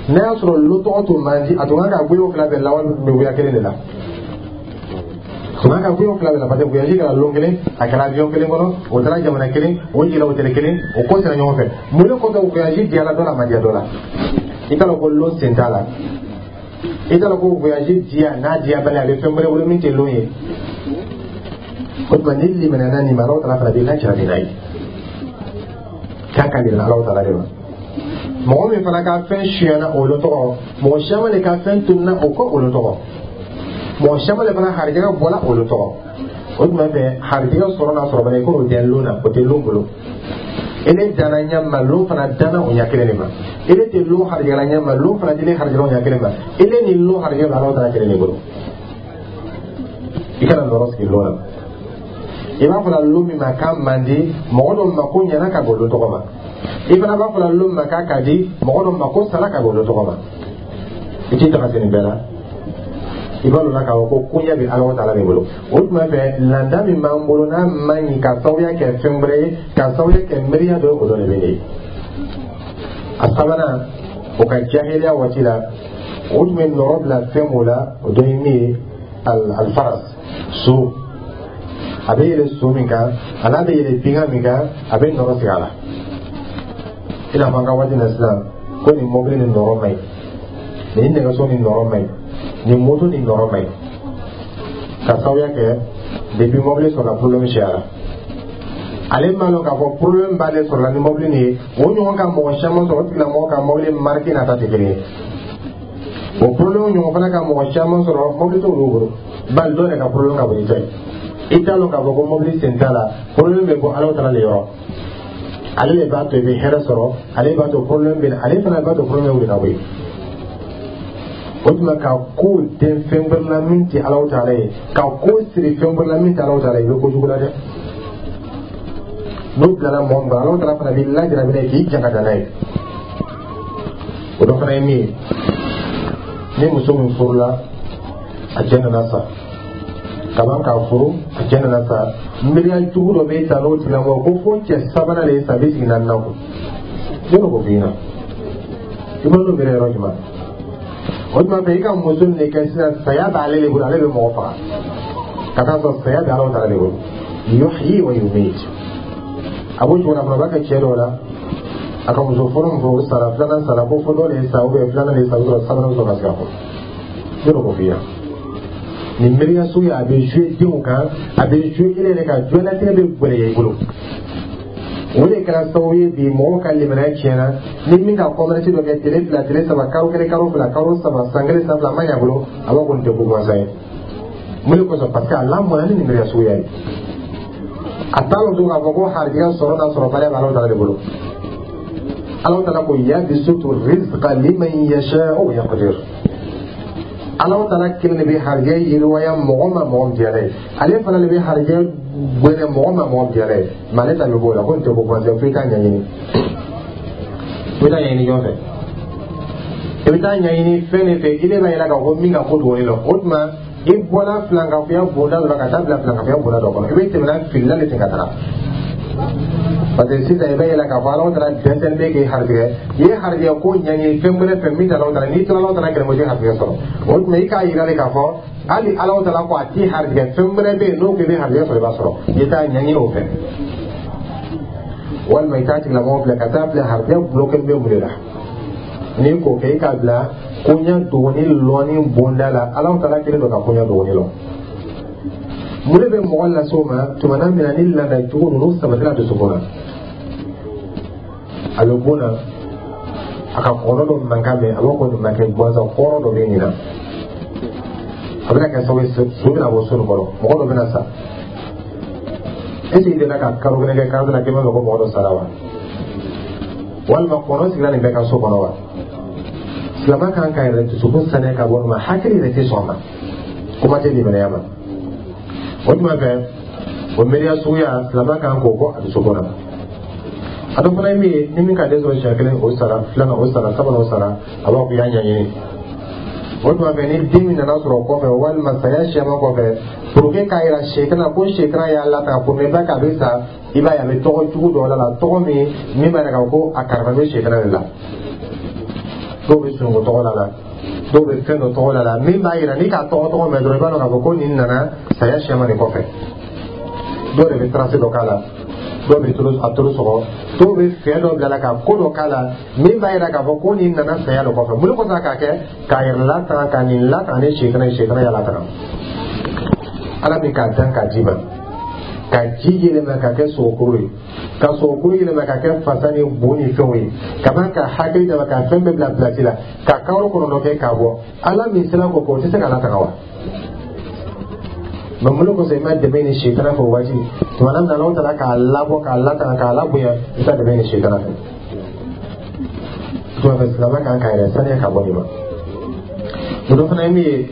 N'a y'a sɔrɔ lo tɔgɔ tun man di, a tun kan ka goyo fila bɛɛ lawale tun bɛ goya kelen de la. A tun kan ka goyo fila bɛɛ la, parce que voyage kɛra lon kelen, a kɛra avion kelen kɔnɔ, o taara jamana kelen, o jiginna hôtel kelen, o ko sera ɲɔgɔn fɛ. Mun de kosɔn voyage diyara dɔ la, a ma diya dɔ la? I t'a dɔn ko lon sen t'a la. I t'a dɔn ko voyage diya n'a diya bali, a bɛ fɛn wɛrɛ bolo min tɛ lon ye. O tuma, ni limaniyana nin ma, Alahu taala fana b'i lajarabi n'a ye k'a ka yɛlɛ Alahu taala de ma. Mɔgɔ min fana ka fɛn suyana o lo tɔgɔ, mɔgɔ caman de ka fɛn tununa o kɔ o lo tɔgɔ, mɔgɔ caman de fana harijɛgɛ bɔla o lo tɔgɔ. O tuma fɛ, harijɛgɛ sɔrɔ n'a sɔrɔ bali, i k'o tɛ lon na, o tɛ lon bolo. Ele danna ɲɛ ma, lon fana danna o ɲɛ kelen de ma. Ele tɛ lon harijɛgɛ la ɲɛ ma, lon fana tɛ harijɛgɛ o ɲɛ kelen ma. Ele ni lon harijɛgɛ bɛ Alahu taala kelen de bolo. I kana nɔrɔ sigi lon na. I b'a fɔla lon min ma k'a man di, mɔgɔ dɔ ma ko ɲɛna ka bɔ lon tɔgɔ ma. I fana b'a fɔla lon ma k'a ka di, mɔgɔ dɔ ma ko sara ka bɔ lon tɔgɔ ma. I t'i taga nin bɛɛ la. I b'a dɔn k'a fɔ ko koɲɛ bɛ Alahu taala de bolo. O tuma fɛ, landa min b'an bolo, n'a man ɲi ka sababuya kɛ fɛn wɛrɛ ye, ka sababuya kɛ miiriya dɔ ye, o dɔ de bɛ ne ye. A sabanan, o ka jahiliya waati la, o tun bɛ nɔrɔ bila fɛn mun la, o dɔ ye min ye, alfaras, so. A bɛ yɛlɛ so min kan, a n'a bɛ yɛlɛ binkan min kan, a bɛ nɔrɔ sigi a la. I n'a fɔ an ka waati na sisan ko nin mɔbili ni nɔrɔ man ɲi, nin nɛgɛso ni nɔrɔ man ɲi, nin moto ni nɔrɔ man ɲi, ka sababuya kɛ depuis mɔbili sɔrɔla, problème cayara. Ale m'a dɔn k'a fɔ problème b'ale sɔrɔla ni mɔbili nin ye, o ɲɔgɔn ka mɔgɔ caman sɔrɔ, o tigilamɔgɔ ka mɔbili marque n'a ta tɛ kelen ye. O problème ɲɔgɔn fana ka mɔgɔ caman sɔrɔ, mɔbili t'olu bolo, bali dɔw yɛrɛ ka problème ka bon ni ta ye. I t'a dɔn k'a fɔ ko mɔbili sen t'a la, problème bɛ bɔ Ala taala de yɔrɔ. Ale de b'a to i bɛ hɛrɛ sɔrɔ, ale b'a to problème bɛ na, ale fana b'a to problème wuli ka bɔ yen. O tuma, ka ko den fɛn wɛrɛ la min tɛ Alahu taala ye, ka ko siri fɛn wɛrɛ la min tɛ Alahu taala ye, i bɛ kojugu la dɛ. N'o bilala mɔgɔ min kɔnɔ, Alahu taala fana b'i lajarabi n'a ye k'i jan ka taa n'a ye. O dɔ fana ye min ye, ni muso min furula, a cɛ nana sa kaban k'a furu, a cɛ nana sa, miiriya jugu dɔ bɛ ta n'o tigilamɔgɔ ko fo cɛ sabanan de ye sa, a bɛ sigi naaninan kun. Ne b'o f'i ɲɛna, i b'a dɔn bɛrɛ yɔrɔ jumɛn? O tuma fɛ, i ka muso nin de kɛ sisan, saya b'ale de bolo, ale bɛ mɔgɔ faga ka taa sɔrɔ saya bɛ Alahu taala de bolo. Yuhyi wa yumit. A b'o cogo la fana, o b'a kɛ cɛ dɔw la, a ka muso fɔlɔ min fɔ, o sara, filanan sara, ko fo dɔ de ye sa, ou bien filanan de ye sa, o bɛ sɔrɔ sabanan bɛ sɔrɔ ka sigi a kɔrɔ. Ne b'o f'i ɲɛna, nin miiriya suguya, a bɛ jouer denw kan, a bɛ jouer e yɛrɛ kan, diɲɛlatigɛ bɛ gɛlɛya i bolo. O de kɛra sababu ye bi mɔgɔw ka limaniya tiɲɛna. Ni min ka commerce dɔ kɛ tile 2, tile 3, karo 1, karo 2, karo 3, san 1, san 2, a ma ɲɛ a bolo, a b'a ko nin tɛ ko gansan ye. Mun de kosɔn? Parce que a lamɔna ni nin miiriya suguya ye. A t'a lɔn tuguni k'a fɔ ko harijɛgɛ sɔrɔ n'a sɔrɔbaliya bɛ Alahu taala de bolo. Alahu taala ko: yabsutu rizqa liman yasha'u wa yaqdir. Alahu taala kelen de bɛ harijɛgɛ yiriwaya mɔgɔ ma, mɔgɔ min diyara ye. Ale fana de bɛ harijɛgɛ gbɛnɛ mɔgɔ ma, mɔgɔ min diyara ye. Mais ale ta bɛ b'o la ko nin tɛ ko gansan, fo i k'a ɲɛɲini. I bɛ taa ɲɛɲini jɔn fɛ? I bɛ taa ɲɛɲini fɛn de fɛ i de b'a yira k'a fɔ min ka ko dogolen don. O tuma, i bɔra filankafoya bonda dɔ la ka taa bila filankafoya bonda dɔ kɔnɔ, i bɛ tɛmɛ n'a filila de ten ka taga. Parce que sisan i bɛ yɛlɛ k'a fɔ Alahu taala dɛsɛlen bɛ k'i harijɛgɛ. I ye harijɛgɛ ko ɲɛɲini fɛn wɛrɛ fɛ min tɛ Alahu taala, n'i tora Alahu taala kɛlɛ, i tɛ harijɛgɛ sɔrɔ. O tuma, i k'a yira de k'a fɔ hali Alahu taala ko a t'i harijɛgɛ, fɛn wɛrɛ bɛ yen n'o ko i bɛ harijɛgɛ sɔrɔ, i b'a sɔrɔ. I t'a ɲɛɲini o fɛ, walima i t'a tigilamɔgɔ filɛ ka taa filɛ harijɛgɛ bloqué bɛ mun de la. N'i k'o kɛ, i k'a bila koɲɛ dogoni lɔnni bonda la. Alahu taala kelen don ka koɲɛ dogoni lɔn. Mun de bɛ mɔgɔ lase o ma? Tuma na min na ni laada jugu ninnu sabatira dusukun na, a bɛ bon na, a ka kɔnɔ dɔ mankan mɛn, a b'a ko nin ma kɛ gansan, kɔrɔ dɔ bɛ nin na. A bɛna kɛ sababu ye, so bɛna bɔ so nin kɔnɔ, mɔgɔ dɔ bɛna sa. Est ce que i delila ka karo 1 kɛ karo la k'i m'a mɛn ko mɔgɔ dɔ sara wa? Walima kɔnɔ sigira nin bɛɛ ka so kɔnɔ wa? Silamɛ kan ka yɛrɛ dusukun saniya ka bɔ nin ma. Hakili yɛrɛ tɛ sɔn a ma, kuma tɛ limaniya ma. O tuma fɛ, o miiriya suguya, silamɛ kan k'o bɔ a dusukun na. A dɔ fana ye min ye, ni min ka den sɔrɔ siɲɛ kelen, o sara, filanan, o sara, sabanan, o sara, a b'a fɔ i y'a ɲɛɲini. O tuma fɛ, ni den min nana sɔrɔ o kɔfɛ, walima saya siyaman kɔfɛ, pour que k'a yira setana ko setana y'a lataga pour ne pas k'a bɛ sa, i b'a ye a bɛ tɔgɔ jugu dɔ la, tɔgɔ min b'a yira k'a fɔ ko a karifa bɛ setana de la. Dɔw bɛ sunungun tɔgɔ la, dɔw bɛ fɛn dɔ tɔgɔ la min b'a yira n'i k'a tɔgɔ mɛn dɔrɔn, i b'a dɔn k'a fɔ ko nin nana saya siyaman de kɔfɛ. Dɔw de bɛ trace dɔ k'a la, dɔw bɛ a toro sɔgɔ, dɔw bɛ fɛn dɔ bila la ka ko dɔ k'a la min b'a yira k'a fɔ ko nin nana saya de kɔfɛ. Mun de kosɔn k'a kɛ? K'a yɛrɛ latanga, ka nin latanga ni setana ye, setana y'a latanga. Ala min k'a dan k'a d'i ma, ka ji yɛlɛma ka kɛ sogokuru ye, ka sogokuru yɛlɛma ka kɛ fasa ni bu ni fɛnw ye, ka ban ka hakili dama, ka fɛn bɛɛ bila pilasi la, ka karo 9 kɛ k'a bɔ, Ala min sera k'o kɛ, o tɛ se k'a latanga wa? Mais mun de kosɔn i ma dɛmɛ ni setana fɛ o waati? Tuma na min na Alahu taala k'a labɔ, k'a latanga, k'a labonya, i t'a dɛmɛ ni setana fɛ. Tuma fɛ, silamɛ kan k'a yɛrɛ saniya ka bɔ nin ma. O dɔ fana ye min ye,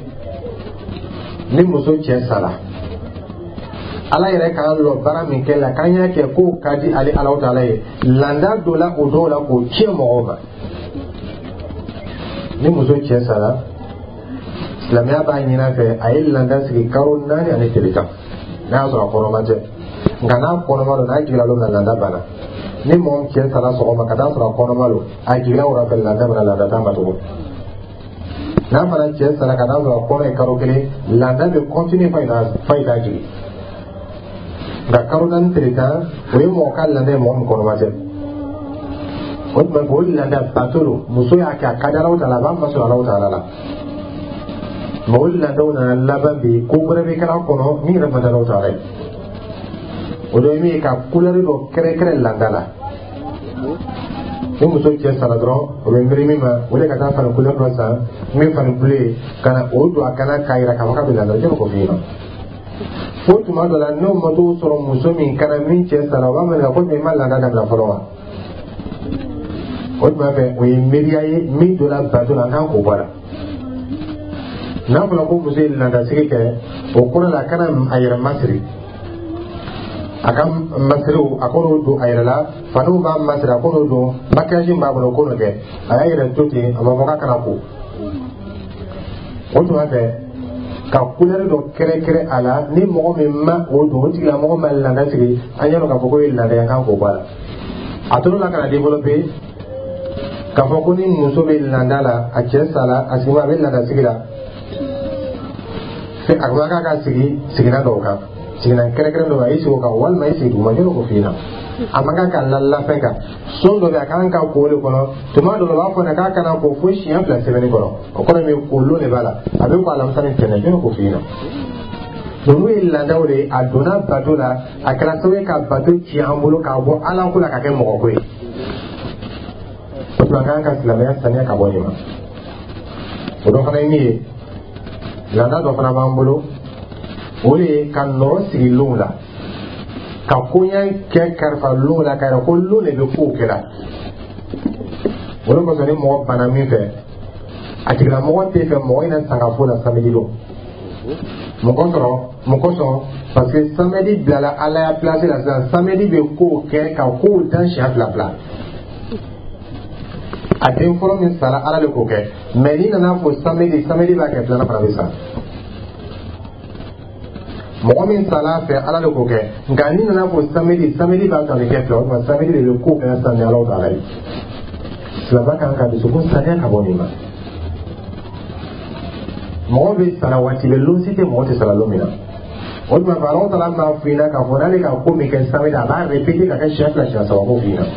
ni muso cɛ sara, Ala yɛrɛ k'an lɔ baara min kɛ la, k'an y'a kɛ k'o ka di ale Alahu taala ye, landa dɔ la o dɔw la k'o tiɲɛ mɔgɔw ma. Ni muso cɛ sara, silamɛya b'a ɲini a fɛ a ye landa sigi karo 4 ani tile 10, n'a y'a sɔrɔ a kɔnɔma tɛ. Nka n'a kɔnɔma don, n'a jiginna don min na, landa banna. Ni mɔgɔ min cɛ sara sɔgɔma ka taa sɔrɔ a kɔnɔma don, a jiginna wula fɛ, landa bɛna, landa t'a ma tugun. N'a fana cɛ sara ka taa sɔrɔ a kɔnɔ ye karo 1, landa bɛ continuer f'a ye taa jigin. Nka karo 4 tile 10, o ye mɔgɔ ka landa ye, mɔgɔ min kɔnɔma tɛ. O tuma o landa bato don, muso y'a kɛ, a ka di Alahu taala, a b'a masɔrɔ Alahu taala la. Mais o landaw nana laban bi, ko wɛrɛ bɛ kɛra kɔnɔ min yɛrɛ man di Alahu taala ye. O dɔ ye min ye, ka couleur dɔ kɛrɛkɛrɛ landa la. Ni muso cɛ sara dɔrɔn, o bɛ miiri min ma, o de ka taa fani couleur dɔ san, min fani bleu ye, ka na o don a kana k'a yira k'a fɔ k'a bɛ landa la. Jɔn k'o f'i ɲɛna? Fo tuma dɔ la, n'o ma t'o sɔrɔ muso min kana min cɛ sara, o b'a ɲininka ko i ma landa dabila fɔlɔ wa? O tuma fɛ, o ye miiriya ye min donna bato la, an kan k'o bɔ a la. N'a fɔra ko muso ye landasigi kɛ, o kɔrɔ la a kana a yɛrɛ masiri, a ka masiriw a k'olu don a yɛrɛ la, faniw b'a masiri a k'olu don, maquillage b'a bolo k'olu kɛ, a y'a yɛrɛ to ten, a ma fɔ k'a kana ko. O tuma fɛ, ka couleur dɔ kɛrɛkɛrɛ a la, ni mɔgɔ min ma o don, o tigilamɔgɔ ma landa sigi, an y'a dɔn k'a fɔ k'o ye landa ye, an kan k'o bɔ a la. A tor'o la ka na développer k'a fɔ ko ni muso bɛ landa la, a cɛ sara, a sigi a bɛ landa sigi la, Fɛn a man kan ka sigi sigilan dɔw kan, sigilan kɛrɛnkɛrɛn dɔ, a y'i sigi o kan walima i sigi duguma, jɔn k'o f'i ɲɛna? A man kan ka lalafɛn kan. Son dɔ bɛ yen, a kan ka ko o de kɔnɔ. Tuma dɔ la, u b'a fɔ k'a kana ko fo siɲɛ 2 sɛbɛnni kɔnɔ. O kɔrɔ ye min, ko lon de b'a la, a bɛ ko alamisa ni tɛnɛn. Jɔn k'o f'i ɲɛna? Ninnu ye laadaw de ye. A donna bato la, a kɛra sababu ye ka bato ci an bolo k'a bɔ Ala ko la ka kɛ mɔgɔ ko ye. O tuma, an kan ka silamɛya saniya ka bɔ nin ma. O dɔ fana ye min ye, laada dɔ fana b'an bolo, o de ye ka nɔrɔ sigi lonw la, ka koɲɛ kɛ karifa lonw la, k'a yira ko lon de bɛ kow kɛla. O de kosɔn, ni mɔgɔ banna min fɛ, a tigilamɔgɔ tɛ fɛ mɔgɔ in na sangafo la samedi don. Mun kosɔn? Mun kosɔn? Parce que samedi bilala Ala ya place la sisan. Samedi bɛ kow kɛ ka kow dan siɲɛ fila fila. A den fɔlɔ min sara, Ala de k'o kɛ. Mais n'i nana fɔ samedi, samedi b'a kɛ, filanan fana bɛ sa. Mɔgɔ min sara fɛ, Ala de k'o kɛ. Nka n'i nana fɔ samedi, samedi b'a to a bɛ kɛ fila. O tuma, samedi de bɛ kow kɛ sisan ni Ala ta ye. Silamɛ kan ka dusukun saniya ka bɔ nin ma. Mɔgɔ bɛ sara waati bɛɛ, lon si tɛ mɔgɔ tɛ sara lon min na. O tuma fɛ, Ala taala b'a f'i ɲɛna k'a fɔ n'ale ka ko min kɛ samedi, a b'a répéter ka kɛ siɲɛ fila, siɲɛ saba, k'o f'i ɲɛna.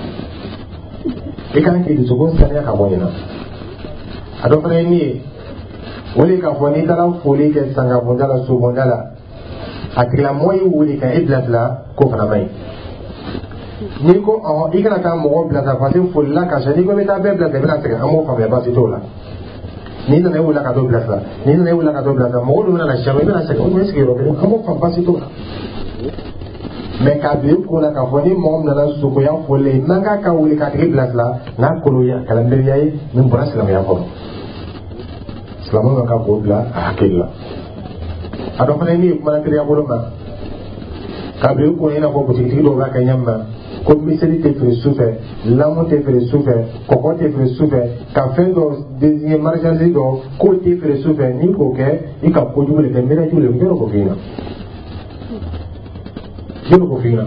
I kan k'i dusukun saniya ka bɔ nin na. A dɔ fana ye min ye, o de k'a fɔ n'i taara foli kɛ sangabonda la, sobonda la, a tigilamɔgɔ y'i wuli ka e bilasira, k'o fana man ɲi. N'i ko ɔhɔn, i kana taa mɔgɔ bilasira, parce que folila ka ca, n'i ko i bɛ taa bɛɛ bilasira, i bɛna sɛgɛn. An b'o faamuya, baasi t'o la. N'i nana, e wulila ka t'o bilasira, n'i nana, e wulila ka t'o bilasira, mɔgɔ dun bɛna na siɲɛ, i bɛna sɛgɛn. O tuma, i sigiyɔrɔ kelen, an b'o faamu, baasi t'o la. Mais k'a bila i kun na k'a fɔ ni mɔgɔ min nana sogoya foli la, i man kan ka wuli k'a tigi bilasira, n'a koloya kɛra miiriya ye min bɔra silamɛya kɔnɔ. Silamɛw ka kan k'o bila a hakili la. A dɔ fana ye min ye, kumana teriya bolo ma, k'a bila i kun i n'a fɔ butigitigi dɔw b'a kɛ ɲɛ min na, ko miseli tɛ feere su fɛ, lamu tɛ feere su fɛ, kɔkɔ tɛ feere su fɛ, ka fɛn dɔ désigner, marchandise dɔ k'o tɛ feere su fɛ. N'i k'o kɛ, i ka kojugu de kɛ, miiriya jugu de kɛ. Jɔn k'o f'i ɲɛna? Jɔn k'o f'i ɲɛna?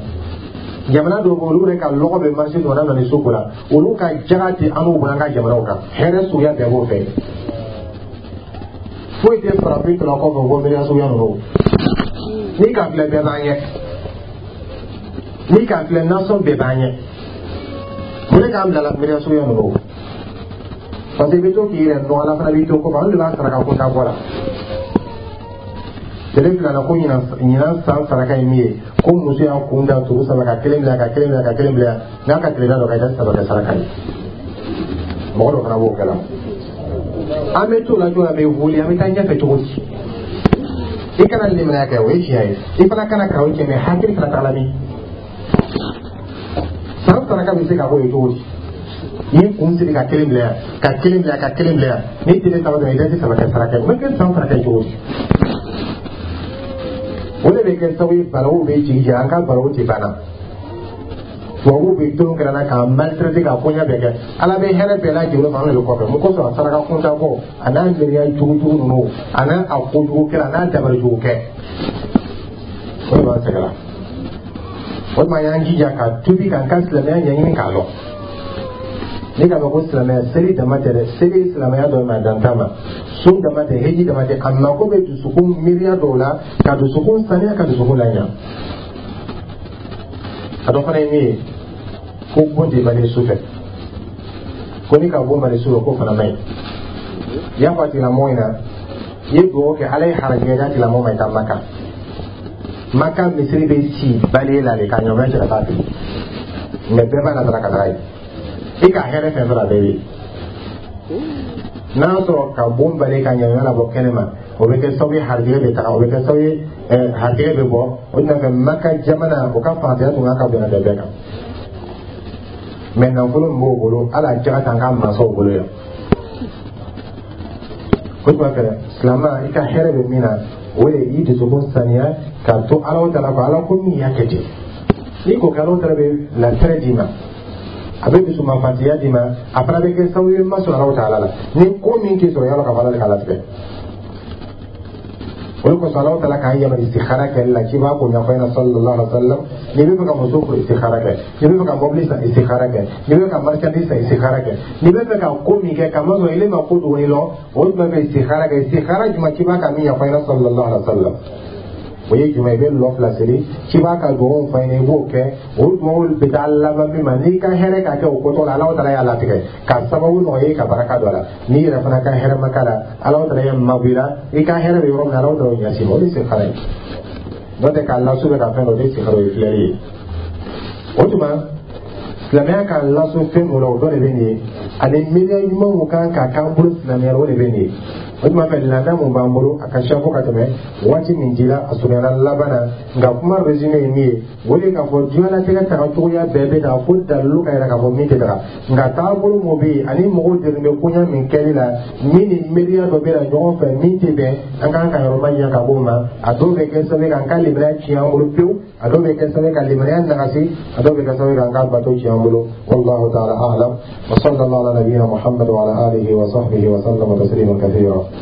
Jamana dɔw bɛ, olu yɛrɛ ka lɔgɔ bɛ marché dɔ n'a nana ni so ko la, olu ka jaga tɛ an n'u bolo an ka jamanaw kan. Hɛrɛ suguya bɛɛ b'o fɛ. Foyi tɛ farafin tɔnɔ kɔfɛ ko miiriya suguya ninnu. N'i ka filɛ, bɛɛ b'an ɲɛ. N'i ka filɛ, nasɔn bɛɛ b'an ɲɛ. Mun de k'an bila la miiriya suguya ninnu? Parce que i bɛ to k'i yɛrɛ nɔgɔ, Ala fana b'i to kɔfɛ. An de b'a saraka kunta bɔ la tele fila la ko ɲinan san saraka ye min ye, ko muso y'a kun da turu saba, ka kelen bila, ka kelen bila, ka kelen bila, n'a ka tile da dɔ ka kɛ saba kɛ saraka ye. Mɔgɔ dɔ fana b'o kɛ la. An bɛ t'o la cogo la, an bɛ wuli, an bɛ taa ɲɛfɛ cogo di? I kana limaniya kɛ, o ye tiɲɛ ye. I fana kana karaw cɛ, mais hakili fana tagala min san saraka bɛ se ka bɔ yen cogo di? N'i kun siri ka kelen bila yan, ka kelen bila yan, ka kelen bila yan, n'i tile saba dɔrɔn, i tɛ saba kɛ saraka ye, o bɛ kɛ san saraka ye cogo di? O de bɛ kɛ sababu ye balawu bɛ jigin jigin an ka balawu tɛ banna. Tubabuw bɛ tolon kɛra na k'an maltraité, k'a koɲɛ bɛɛ kɛ. Ala bɛ hɛrɛ bɛɛ lajɛlen ma, an de bɛ kɔfɛ. Mun kosɔn? A saraka kunta bɔ, a n'a miiriya jugujugu ninnu, a n'a a kojugu kɛra, a n'a dabali jugu kɛ, o de b'an sɛgɛn la. O tuma, y'an jija ka tubi, k'an ka silamɛya ɲɛɲini k'a dɔn. Ne k'a fɔ ko silamɛya, seli dama tɛ dɛ. Seli ye silamɛya dɔ ye, mais a dan t'a ma. Sun dama tɛ, heji dama tɛ. A mako bɛ dusukun miiriya dɔw la, ka dusukun saniya, ka dusukun laɲa. A dɔ fana ye min ye, ko bon tɛ bali su fɛ, ko ni ka bon bali su fɛ, k'o fana man ɲi. I y'a fɔ a tigilamɔgɔ ɲɛna, i ye dugawu kɛ, Ala ye harajigɛ d'a tigilamɔgɔ ma, i ka Maka. Maka misiri bɛ si bali la de k'a ɲɔgɔn cɛ ka taa fili, mais bɛɛ b'a la ka taga yen. I ka hɛrɛ fɛn fɛn a bɛɛ bɛ yen. N'a y'a sɔrɔ ka bon bali ka ɲɛɲɛ labɔ kɛnɛ ma, o bɛ kɛ sababu ye harijigɛ bɛ taga, o bɛ kɛ sababu ye harijigɛ bɛ bɔ. O tɛna fɛ Maka jamana, o ka fantanya tun ka bonya ka bɛɛ kan, mais nafolo min b'o bolo, hali a jaga t'an ka mansaw bolo yan. O tuma fɛ, silamɛ, i ka hɛrɛ bɛ min na, o de y'i dusukun saniya k'a to Ala ta la, ko Ala ko min y'a kɛ ten. N'i ko kɛ, Ala ta bɛ latigɛ d'i ma, a bɛ dusumafatiya d'i ma, a fana bɛ kɛ sababu ye ma sɔrɔ Ala ta la. Ni ko min k'i sɔrɔ, yala ka fɔ Ala de k'a latigɛ. O de kosɔn Alahu Taala k'an yamaru istikhara kɛli la. Ciba k'o ɲɛfɔ an ɲɛna, sallallahu alaihi wa sallam. N'i bɛ fɛ ka muso furu, istikhara kɛ. N'i bɛ fɛ ka mobili san, istikhara kɛ. N'i bɛ fɛ ka marchandise san, istikhara kɛ. N'i bɛ fɛ ka ko min kɛ, kamasɔrɔ ile ma ko dogoni lɔn, o tuma fɛ istikhara kɛ. Istikhara jumɛn? Ciba ka min ɲɛfɔ an ɲɛna, sallallahu alaihi wa sallam, o ye jumɛn? I bɛ lɔ fila seli, ciba ka dugawu fɔ an ɲɛna, i b'o kɛ. O dugawu bɛ taa laban min ma, n'i ka hɛrɛ ka kɛ o kotɔ la, Alahu Taala y'a latigɛ ka sababu nɔgɔya i ka baraka don a la. N'i yɛrɛ fana ka hɛrɛ ma k'a la, Alahu Taala ye mabɔ i la. I ka hɛrɛ bɛ yɔrɔ min na, Alahu Taala y'o ɲɛsin ma. O de ye istikhara ye. N'o tɛ k'a lasu bɛ ka fɛn dɔ, o de ye istikhara, o ye filɛli ye. O tuma silamɛya k'an laso fɛn mun la, o dɔ de bɛ nin ye, ani miiriya ɲuman mun kan ka k'an bolo silamɛya la, o de bɛ nin ye. O tuma fɛ, laada mun b'an bolo, a ka siya fo ka tɛmɛ waati min dila, a surunyana laban na. Nka kuma résumé ye min ye, o de k'a fɔ diɲɛlatigɛ tagacogoya bɛɛ bɛ taga fo dalilu ka yira k'a fɔ min tɛ taga. Nka taabolo mun bɛ yen ani mɔgɔw degun bɛ koɲa min kɛli la, min ni miiriya dɔ bɛ na ɲɔgɔn fɛ min tɛ bɛn, an kan ka yɔrɔ ma ɲɛ ka bɔ o ma. A dɔw bɛ kɛ sababu ye k'an ka limaniya tiɲɛ an bolo pewu, a dɔw bɛ kɛ sababu ye ka limaniya nagasi, a dɔw bɛ kɛ sababu ye k'an ka bato tiɲɛ an bolo. Wallahu ta'ala a'lam, wa sallallahu ala nabiyyina Muhammad wa ala alihi wa sahbihi wa sallama tasliman kathira.